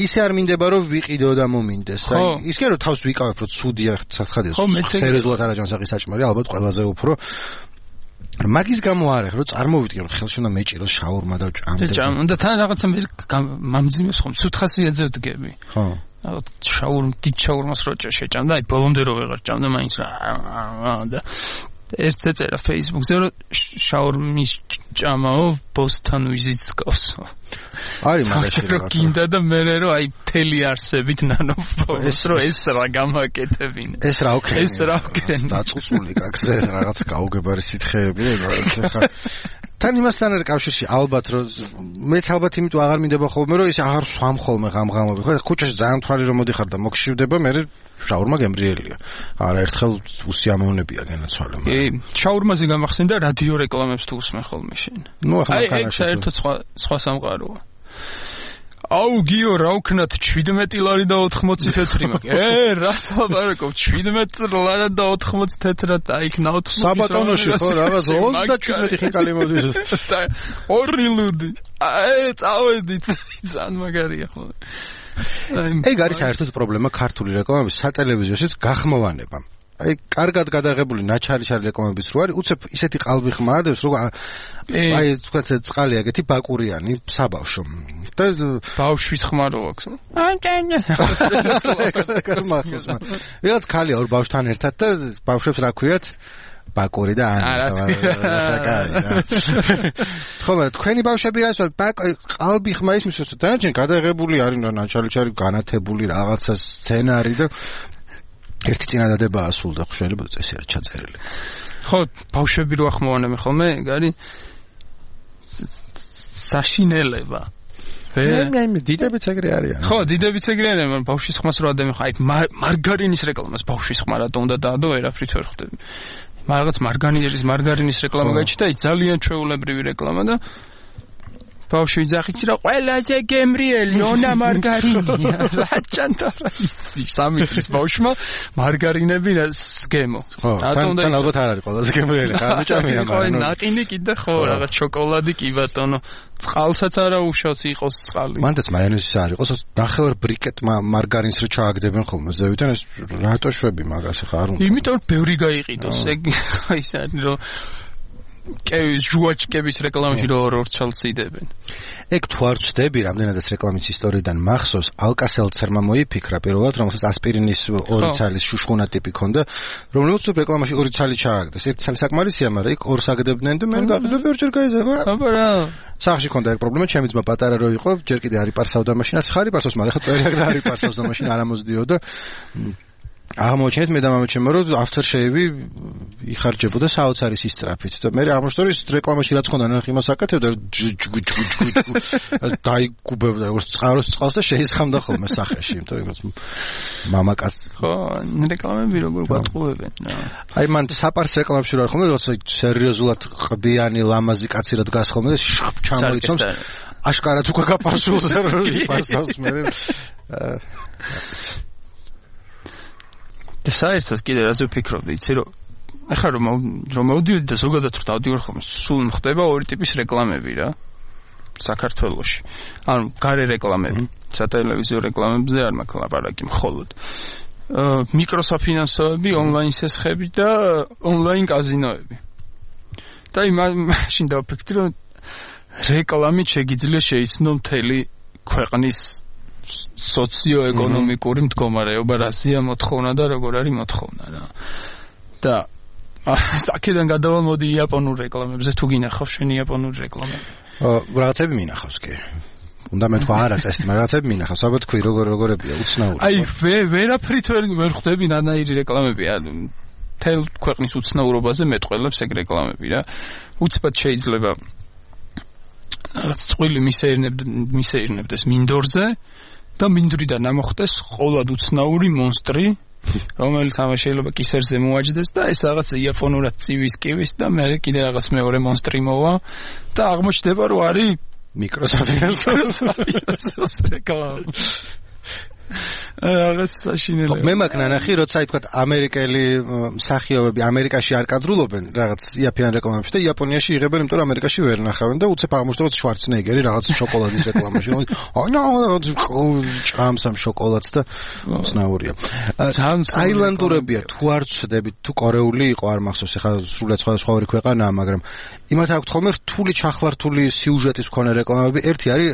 A: ისე არ მინდება რომ ვიყიდო და მომინდეს აი ის კი რომ თავს ვიკავებ რომ ცუდია საცხადია სერიოზულად არაჯანსაღი საჭმელი ალბათ ყველაზე უფრო მაგის გამო არა, რომ წარმოვიდგე რომ ხელში უნდა მეჭიროს შაურმა და ჭამდე.
C: და თან რაღაცა მამძიმეს ხომ ცუდ ხასიათზე ვდგები.
A: ხო.
C: დიდ შაურმას რო შეჭამდა, აი ბოლომდე რო ვეღარ ჭამდა მაინც რა და ერთ ეწერა Facebook-ზე რომ შაურმის ჭამაო ბოსთან ვიზიტს ყავს.
A: არის მაგაში
C: რა გინდა და მე რომ აი მთელი არსებით ნანოფოს რომ ეს რა გამაკეთებინა.
A: ეს რა ოქრენი. დაწუწული გაგზე რაღაც გაუგებარი სითხეები ხა თან იმასთან არის კავშირში ალბათ რომ მეც ალბათ იმიტომ აღარ მინდება ხოლმე რომ ის აღარ სვამ ხოლმე ღამღამები ხო ქუჩაში ძალიან თვალი რომ მოდიხარ და მოგშივდება მე შაურმა გემრიელია არა ერთხელ უსიამოვნებია განაცვალე
C: კი შაურმაზე გამახსენდა რადიო რეკლამებს თუ უსმენ ხოლმე შენ
A: ნუ ახლა
C: აი საერთოდ სხვა სამყაროა აუ გიო რა ვქნათ 17 ლარი და 80 თეთრი მაქვს რას ვაბარაკობ 17 ლარი და 80 თეთრად აი იქ ნავთ
A: საბატონოში ხო რაღაც 37 ხინკალი მოდის
C: 2 ლუდი აი წავედით ძალიან მაგარია ხო
A: ეგ არის საერთოდ პრობლემა ქართული რეკლამების სატელევიზიოშიც გახმოვანება აი კარგად გადაღებული ნაჩარი რეკლამების რო არის უცებ ისეთი ყალბი ხმარადებს რომ აი თქვა წყალი აგეთი ბაკურიანი საბავშვო და
C: ბავშვის ხმარო აქვს
A: ვიღაც ქალია ორ ბავშვთან ერთად და ბავშვებს რა ქვიათ ბაკური და ხომ თქვენი ბავშვები რას ყალბი ხმა ისმის რომ დანარჩენ გადაღებული არის ნაჩარი განათებული რაღაცა სცენარი და ერთი წინადადება ასულდა ხო შეიძლება წესი არ ჩაწერილი
C: ხო ბავშვები რო ახმოვანები ხოლმე ეგ არის საშინელება
A: მე დიდებიც ეგრე არიან
C: ხო დიდებიც ეგრე არიან მაგრამ ბავშვის ხმას რო ადამიან ხო აი მარგარინის რეკლამას ბავშვის ხმა რატო უნდა დაადო ვერაფრით ვერ ხვდები რაღაც მარგარინის რეკლამა გაჩნდა ის ძალიან ჩვეულებრივი რეკლამა და ბავშვი ძახიც რა ყველაზე გემრიელი ონა მარგარინია რა ჩანტარა ის სამი წლის ბავშვმა მარგარინები სგემო
A: თან ალბათ არ არის ყველაზე გემრიელი ხარ მეჭამია
C: მაგრამ ნაყინი კიდე ხო რაღაც შოკოლადი კი ბატონო წყალსაც არა უშავს იყოს წყალი
A: მანდაც მაიონეზის არ იყოს ნახევარ ბრიკეტ მარგარინს რო ჩააგდებენ ხოლმე ზევიდან ეს რატო შვები მაგას ხა არ უნდა
C: იმიტომ ბევრი გაიყიდოს ეგ ის არის რომ ჟუაჩკების რეკლამაში რო ორ-ორ ციდებენ.
A: ეგ თუ არ ვწდები, რამდენადაც რეკლამის ისტორიიდან მახსოვს, ალკასელცერმა მოიფიქრა პირველად, რომელსაც ასპირინის 2 ცალის შუშხუნა ტიპი ქონდა, რომელიც რეკლამაში 2 ცალი ჩააგდეს. 1 ცალი საკმარისია, მაგრამ იქ 2 აგდებდნენ და მე გაყიდები ორჯერ გაიზარდა.
C: აბა რა.
A: სახში ქონდა ეგ პრობლემა, ჩემი ძმა პატარა რო იყო, ჯერ კიდე არი პარსავდა მაშინ, ხარი პარსავს, მაგრამ ხა წერი და არი პარსავდა მაშინ არ ამოსდიოდა. აღმოჩენთ მე და მამაჩემო რომ aftershave-ი იხარჯებოდა საოცარი სისწრაფით და მე აღმოჩნდა რომ ის რეკლამაში რაც ხონდა ნახ იმას აკეთებდა დაიგუბებდა როგორც წყალს და შეისხამდა ხოლმე სახეში იმიტომ რომ მამაკაცი
C: ხო რეკლამები როგორ გვატყუებენ
A: აი მან საპარს რეკლამებში რა ხომ როცა სერიოზულად ყბიანი ლამაზი კაცი რა დგას ხოლმე და ჩამოიცავს აშკარად უკვე გაპარსულზე რომ პარსავს მე
C: და საერთოდ კიდე რაზე ვფიქრობდი, იცი რომ ახლა რომ მოვდიოდი და ზოგადად რო დავდივარ ხოლმე, სულ მხდება ორი ტიპის რეკლამები რა საქართველოში. ანუ გარე რეკლამები, სატელევიზიო რეკლამებზე არ მაქვს ლაპარაკი მხოლოდ. მიკროსაფინანსოები, ონლაინ სესხები და ონლაინ კაზინოები. და მაშინ დავფიქრდი რომ რეკლამით შეგიძლია შეიცნო მთელი ქვეყნის სოციოეკონომიკური მდგომარეობა რასია მოთხოვნა და როგორ არის მოთხოვნა რა. და აქედან გადავალ მოდი იაპონურ რეკლამებზე თუ გინახავს შენი იაპონური რეკლამები.
A: რაღაცები მინახავს კი. უნდა მეთქვა არა წესი, მაგრამ რაღაცები მინახავს. ალბათ თქვი როგორებია უცნაური.
C: აი ვერაფრით ვერ ხვდები ნანაირი რეკლამებია. თელ ქვეყნის უცნაურობაზე მეტყველებს ეგ რეკლამები რა. უცბად შეიძლება რაღაც წყვილი მისეირნებდეს მინდორზე და მინდვრიდან ამოხდეს ყოლად უცნაური მონსტრი, რომელიც ამას შეიძლება კისერზე მოაჯდეს და ეს რაღაც იაპონურად წივის და მე კიდე რაღაც მეორე მონსტრი მოვა და აღმოჩნდება რომ არის
A: მიკროსაფინანსოს
C: რეკლამა. რაღაც საშინელება.
A: მე მაგ ნანახი, როცა თქვა ამერიკელი მსახიობები ამერიკაში არ კადრულობენ რაღაც იაფიან რეკლამებში და იაპონიაში იღებენ, იმიტომ რომ ამერიკაში ვერ ნახავენ და უცებ აღმოჩნდება შვარცენეგერი რაღაც შოკოლადის რეკლამაში. ჭამს ამ შოკოლადს და ცნაურია. ტაილანდურებია თუ არ ვცდებით, თუ კორეული იყო არ მახსოვს, ეხლა სრულად სხვა ორი ქვეყანაა, მაგრამ იმათ აქვს ხოლმე რთული ჩახლართული სიუჟეტის მქონე რეკლამები. ერთი არის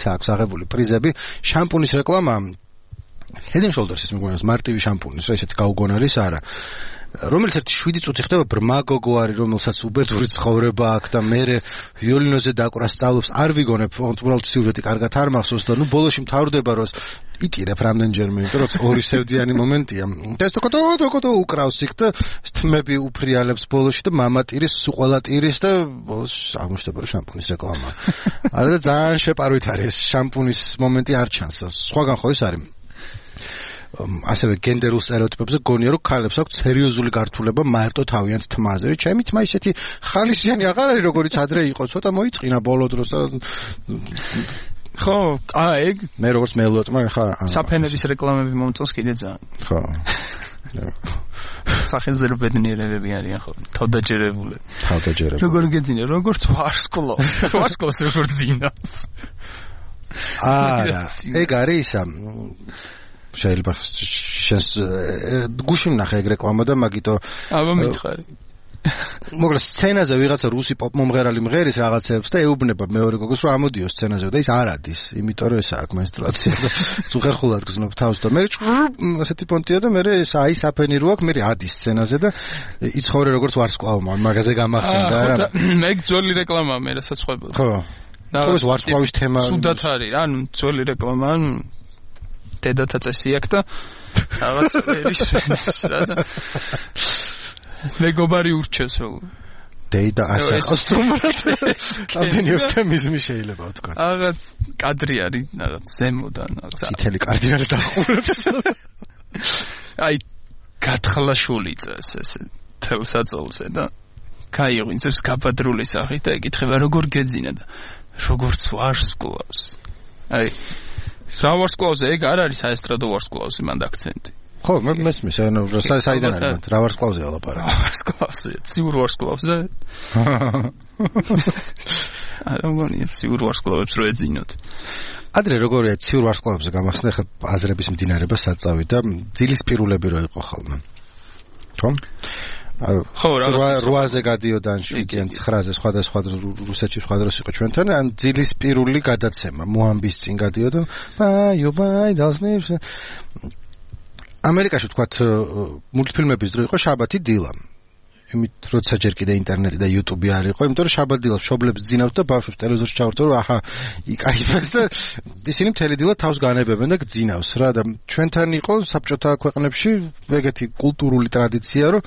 A: ეს აქვს აღებული პრიზები, შამპუნის რეკლამა Head and Shoulders-ის მეგონას მარტივი შამპუნის, რა ისეთი გაუგონარის არა. რომელიც ერთი 7 წუთი ხდება ბრმა გოგო არის, რომელსაც უბედური ცხოვრება აქვს და მე ვიოლინოზე დაკვრა სწავლობს, არ ვიგონებ, უბრალოდ სიუჟეტი კარგად არ მახსოვს და ნუ ბოლოში მთავრდება რომ იტირებ რამდენჯერმე, იმიტომ რომ ორი სევდიანი მომენტია. და ეს თქო უკრავს იქ და თმები უფრიალებს ბოლოში და მამა ტირის, სუყვალა ტირის და ბოლოს აღმოჩნდება რომ შამპუნის რეკლამაა. არა და ძალიან შეპარვით არის შამპუნის მომენტი არ ჩანს. სხვაგან ხო ის არის ასევე გენდერულ სტერეოტიპებზე გონია რომ ქალებს აქვს სერიოზული გართულება მარტო თავიანთ თმაზე. ჩემი თმა ისეთი ხალისიანი აღარ არის როგორიც ადრე იყო, ცოტა მოიწყინა ბოლო დროს და
C: ხო, ეგ
A: მე როგორც მელოტმა ხა
C: საფენების რეკლამები მომწონს კიდე ძალიან.
A: ხო.
C: სახეზერო ბედნიერებები არიან ხო, თავდაჯერებული. როგორ გეძინა, როგორც ვარსკვლავს როგორ ძინავს.
A: არა, ეგ არის ისა შეიძლება შენს გუშინ ნახე ეგ რეკლამა და მაგიტო
C: აბა მითხარი
A: მოკლედ სცენაზე ვიღაცა რუსი პოპ მომღერალი მღერის რაღაცებს და ეუბნება მეორე გოგოს რომ ამოდიო სცენაზე და ის არ ადის, იმიტომ რომ ეს აქვს მენსტრუაცია და ზუხერხულად გზნობ თავს და მე ასეთი პონტია და მე ეს აი საფენი რო აქვს, მე ადის სცენაზე და იცხოვრე როგორც ვარსკვლავმა მაგაზე გამახსენდა რა.
C: მე ძველი რეკლამაა მე რასაც ხვებოდი.
A: ხო. ხო ეს ვარსკვლავის თემა
C: სუდათ არის რა, ანუ ძველი რეკლამა დედათა წესი აქვს და რაღაც ერის რა და მეგობარი ურჩევს რომ
A: დედა ასახავს თუმრად ამდენი ოპტიმიზმი შეიძლება ვთქვა.
C: რაღაც კადრი არის რაღაც ზემოდან რაღაც
A: წითელი კარდინალი დახურებს.
C: აი გათხლაშული წეს ეს თელსაწოლზე და გაიღვინებს გაბადრული სახით და ეკითხება როგორ გეძინა და როგორც ვარსკვლავს. აი სავარსკვლავზე ეგ არ არის საესტრადო ვარსკვლავზე მანდ აქცენტი.
A: ხო, მე მესმის, ანუ საიდან არის რა ვარსკვლავზეა ლაპარაკი.
C: ვარსკვლავზე, ციურ ვარსკვლავზე. არა მგონია ციურ ვარსკვლავებს რო ეძინოთ.
A: ადრე როგორია ციურ ვარსკვლავებზე გამახსენე ხა აზრების მდინარება საწავი და ძილის პირულები რო იყო ხოლმე. ხო?
C: ხო,
A: რვაზე გადიოდა 9-ზე სხვადასხვა რუსეთში სხვა დროს იყო ჩვენთან, ან ძილის პირული გადაცემა მოამბის წინ გადიოდა. ბაი დასნებს. ამერიკაში ვთქვათ მულტფილმების დრო იყო შაბათი დილა. იმით როცა ჯერ კიდე ინტერნეტი და YouTube არ იყო, იმიტომ რომ შაბათ დილას მშობლებს ძინავს და ბავშვებს ტელევიზორში ჩავერთო რომ აჰა იკაიფებს და ისინი მთელი დილა თავს განებებენ და გძინავს რა და ჩვენთან იყო საბჭოთა ქვეყნებში ეგეთი კულტურული ტრადიცია რომ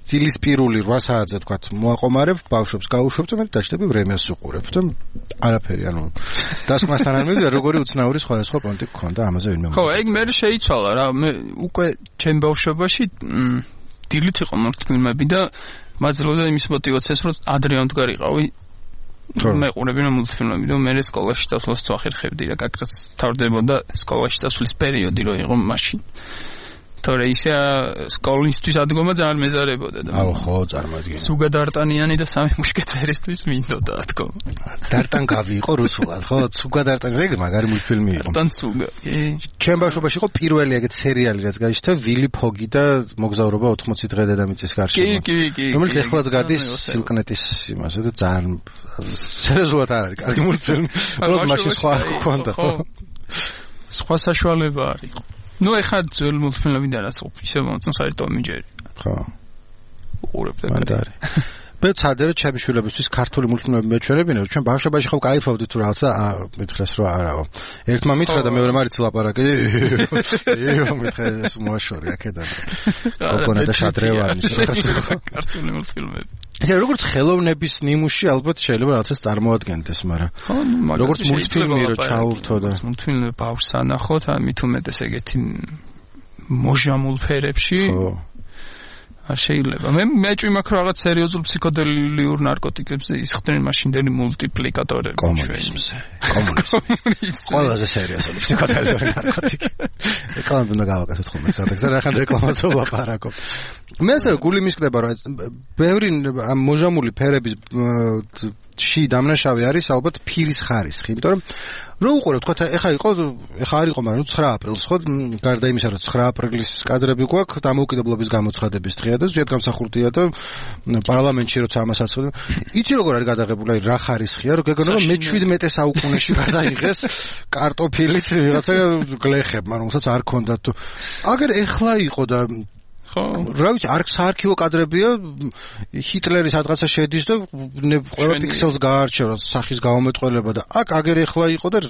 A: ძილის პირული 8 საათზე ვთქვათ მოაყომარებ ბავშვებს გაუშვებ და მე დაჭდები ვრემეს უყურებ და არაფერი ანუ დასკვნასთან არ მივიდა როგორი უცნაური სხვადასხვა პონტი გქონდა ამაზე ვინმე
C: ხო ეგ მე შეიცვალა რა მე უკვე ჩემ ბავშვობაში დილით იყო მულტფილმები და მაძლევდა იმის мотивაციას რომ ადრე ამდგარიყავი მე ყურებინა მულტფილმები და მე სკოლაში წასვლას ვახერხებდი რა გაკრას თავდებოდა სკოლაში წასვლის პერიოდი რო იყო მაშინ თორე ისე სკოლისთვის ადგომა ძალიან მეზარებოდა და
A: აუ ხო წარმოიდგინე
C: სუგა დარტანიანი და სამი მუშკეტერისტვის მინდოდა თქო
A: დარტანგავი იყო რუსულად ხო სუგა დარტანიანი ეგ მაგარი მულტფილმი იყო
C: დარტან სუგა
A: ჩემ ბავშვობაში იყო პირველი ეგეთ სერიალი რაც გაიშთა ვილი ფოგი და მოგზაურობა 80 დღე დედამიწის გარშემო რომელიც ეხლაც გადის სილკნეტის იმაზე და ძალიან სერიოზულად არ არის კარგი მულტფილმი რომ მაშინ სხვა გქონდა ხო
C: სხვა საშუალება არის ნუ ეხლა ძველ მულტფილმებიდან რაც ისე მომწონს არის ტომი ჯერი
A: ხო
C: უყურებ და
A: მანდარი მე ცადე რომ ჩემი შვილებისთვის ქართული მულტფილმები მეჩვენებინა რომ ჩვენ ბავშვობაში ხო кайფავდით თუ რაღაცა მითხრეს რომ არაო ერთმა მითხრა და მეორე მარიც ლაპარაკი მითხრა ეს მოაშორი აქედან გოგონა და შადრევანი
C: ქართული მულტფილმები
A: ესე როგორც ხელოვნების ნიმუში ალბათ შეიძლება რაღაცას წარმოადგენდეს მაგრამ როგორც მულტფილმი რო ჩაურთო და
C: მულტფილმი ბავშვს ანახოთ ამით უმეტეს ეგეთი მოჟამულ ფერებში არ შეიძლება. მე მეჭვი მაქვს რაღაც სერიოზულ ფსიქოდელიურ ნარკოტიკებზე ისხდნენ მაშინდელი მულტიპლიკატორები.
A: კომუნიზმზე. ყველაზე სერიოზული ფსიქოდელიური ნარკოტიკი. რეკლამები უნდა გავაკეთოთ ხოლმე სადაც და რახან რეკლამას ვლაპარაკობ. მე ასე გული მისკდება რომ ბევრი ამ მოჟამული ფერების ში დამნაშავე არის ალბათ ფირის ხარისხი, იმიტომ რომ რო უყურებ თქვა ეხა არ იყო, მაგრამ 9 აპრილს ხო გარდა იმისა რომ 9 აპრილის კადრები გვაქვს დამოუკიდებლობის გამოცხადების დღეა და ზედ გამსახურდია და პარლამენტში როცა ამას აცოდნენ იცი როგორ არის გადაღებული აი რა ხარისხია რომ გეგონა რომ მე-17 საუკუნეში გადაიღეს კარტოფილით ვიღაცა გლეხებმა რომელსაც არ ქონდათ თუ აგერ ეხლა იყო და ხო რა ვიცი საარქივო კადრებია ჰიტლერის რაღაცა შედის და ყველა პიქსელს გაარჩევ სახის გაუმეტყველება და აქ აგერ ეხლა იყო და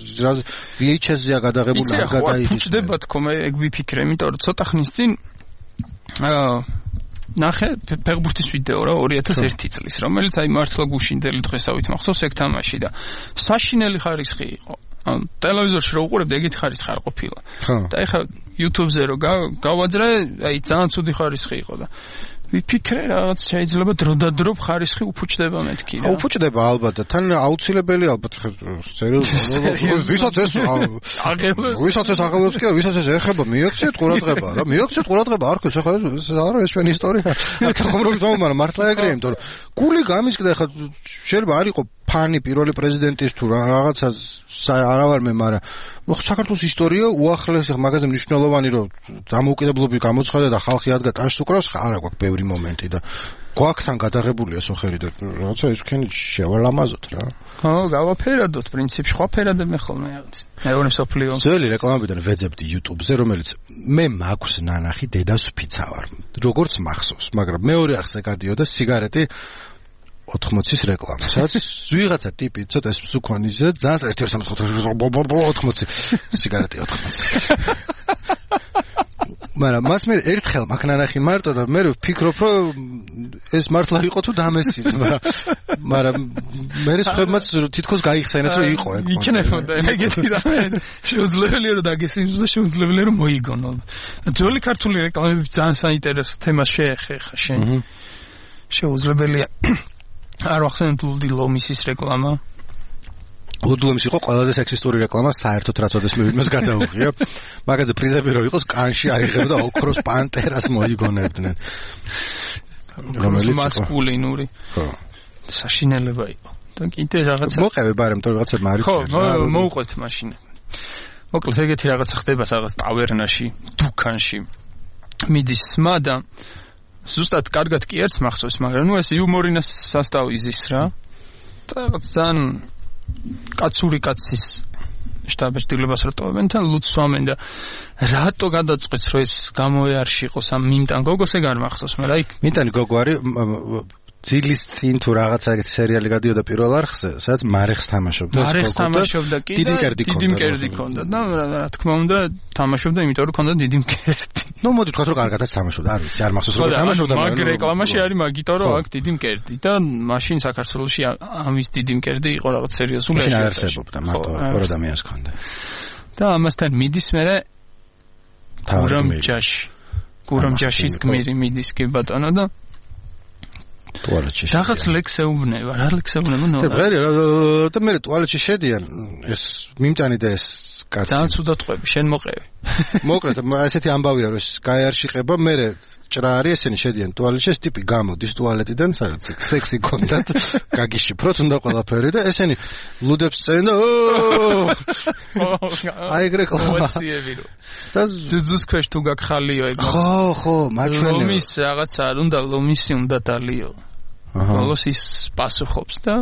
A: VHS-ზეა გადაღებული არ გადაიღეს.
C: ფუჭდება თქო მე ეგ ვიფიქრე, იმიტომ რომ ცოტა ხნის წინ ნახე ფეხბურთის ვიდეო რა 2001 წლის, რომელიც აი მართლა გუშინდელი დღესავით მახსოვს ეგ თამაში და საშინელი ხარისხი იყო. ტელევიზორში რო უყურებდი ეგეთი ხარისხი არ ყოფილა. და ეხლა YouTube-ზე რო გავაძრე, აი ძალიან ცუდი ხარისხი იყო და ვიფიქრე რაღაც შეიძლება დროდადრო ხარისხი უფუჭდება მეთქი რა.
A: უფუჭდება ალბათ და თან აუცილებელი ალბათ ვისაც ეს აღელვებს კი არ ვისაც ეს ეხება მიაქციეთ ყურადღება რა მიაქციეთ ყურადღება არ ქოს ახლა ეს არა ეს ჩვენი ისტორია. აქ ხომ რომ მაგრამ მართლა ეგრეა იმიტომ რომ გული გამისკდა ახლა შეიძლება არ იყო ფანი პირველი პრეზიდენტის თუ რაღაცა არა ვარ მე მაგრამ საქართველოს ისტორია უახლეს მაგაზე მნიშვნელოვანი რომ დამოუკიდებლობის გამოცხადა და ხალხი ადგა ტაშს უკრავს არა გვაქვს ბევრი მომენტი და გვაქვს თან გადაღებულია სოხერი და რაღაცა ეს თქვენი შევალამაზოთ რა.
C: ხო გავაფერადოთ პრინციპში ხო ფერადებ მე ხოლმე რაღაც მეორე სოფლიო
A: ძველი რეკლამებიდან ვეძებდი YouTube-ზე რომელიც მე მაქვს ნანახი დედას ვფიცავარ როგორც მახსოვს მაგრამ მეორე არხზე გადიოდა სიგარეტი 80-ის რეკლამა. სადაც ვიღაცა ტიპი ცოტა ეს მსუქონიზე ძალიან 1-2-3-4 სიგარეტი 80. მაგრამ მას მე ერთხელ მაქნანახი მარტო და მე ვფიქრობ რომ ეს მართლა იყო თუ დამესის მაგრამ მე ხებმაც თითქოს გაიხსენეს რომ იყო ეგ.
C: იქნებოდა ეგეთი რამე შეუძლებელია რომ დაგესინოს და შეუძლებელია რომ მოიგონო. ძველი ქართული რეკლამები ძალიან საინტერესო თემას შეეხება შენ. შეუძლებელია არ ვახსენებ ლუდი ლომისის რეკლამა.
A: ლუდი ლომისი იყო ყველაზე სექსისტური რეკლამა საერთოდ რაც ოდეს მე ვინმეს გადაუღია. მაგაზე პრიზები რო იყოს კანში აიღებდა ოქროს პანტერას მოიგონებდნენ.
C: რომელიც მასკულინური. ხო. საშინელება იყო. და კიდე რაღაცა
A: მოყევე ბარემ თორე რაღაცა მარიცია.
C: ხო, მოუყვეთ მაშინ. მოკლედ ეგეთი რაღაცა ხდება რაღაც ტავერნაში, დუქანში. მიდის სმა და ზუსტად კარგად კი ერთს მახსოვს, მაგრამ ნუ ეს იუმორინას სასტავი იზის რა. და რაღაც ძალიან კაცური კაცის შტაბ-ჭდილებას რა ტოვებენ თან ლუცვამენ და რატო გადაწყვეტს რომ ეს გამოეარში იყოს ამ მიმტან გოგოს ეგ არ მახსოვს, მაგრამ აი
A: მიმტანი გოგო არის ძილის წინ თუ რაღაცა ეგეთი სერიალი გადიოდა პირველ არხზე, სადაც მარეხს თამაშობდა.
C: მარეხს თამაშობდა კი და დიდი მკერდი ჰქონდა და რა თქმა უნდა თამაშობდა, იმიტომ რომ ჰქონდა დიდი მკერდი.
A: ნუ მოდი თქვა რომ კარგადაც თამაშობდა, არ ვიცი, არ მახსოვს როგორ თამაშობდა,
C: მაგრამ მაგ რეკლამაში არის მაგითო რომ აქ დიდი მკერდი და მაშინ საქართველოში ამის დიდი მკერდი იყო რაღაც სერიოზული
A: მაშინ არ არსებობდა, მარტო ორ ადამიანს ჰქონდა.
C: და ამასთან მიდის მერე გურამჯაშის გმირი მიდის კი ბატონო და
A: ტუალეტში
C: რაღაც ლექსეუბნება, რა ლექსეუბნება ნუ
A: და მე ტუალეტში შედიან ეს მიმტანი და ეს კაცი
C: ძალიან ცუდად ყვები შენ მოყევი
A: მოკლედ ესეთი ამბავია რომ ეს გაიარშიყება მე ჭრა არის ესენი შედიან ტუალეტში ეს ტიპი გამოდის ტუალეტიდან სადაც სექსი კონდათ გაგიშიფროთ უნდა ყველაფერი და ესენი ლუდებს წევენ და აი ეგ რეკლამა და
C: ძუძუს ქვეშ თუ გაგხალიო ეგ
A: ხო მაჩვენე
C: ლომის რაღაცა არ უნდა ლომისი უნდა დალიო ბოლოს ის პასუხობს და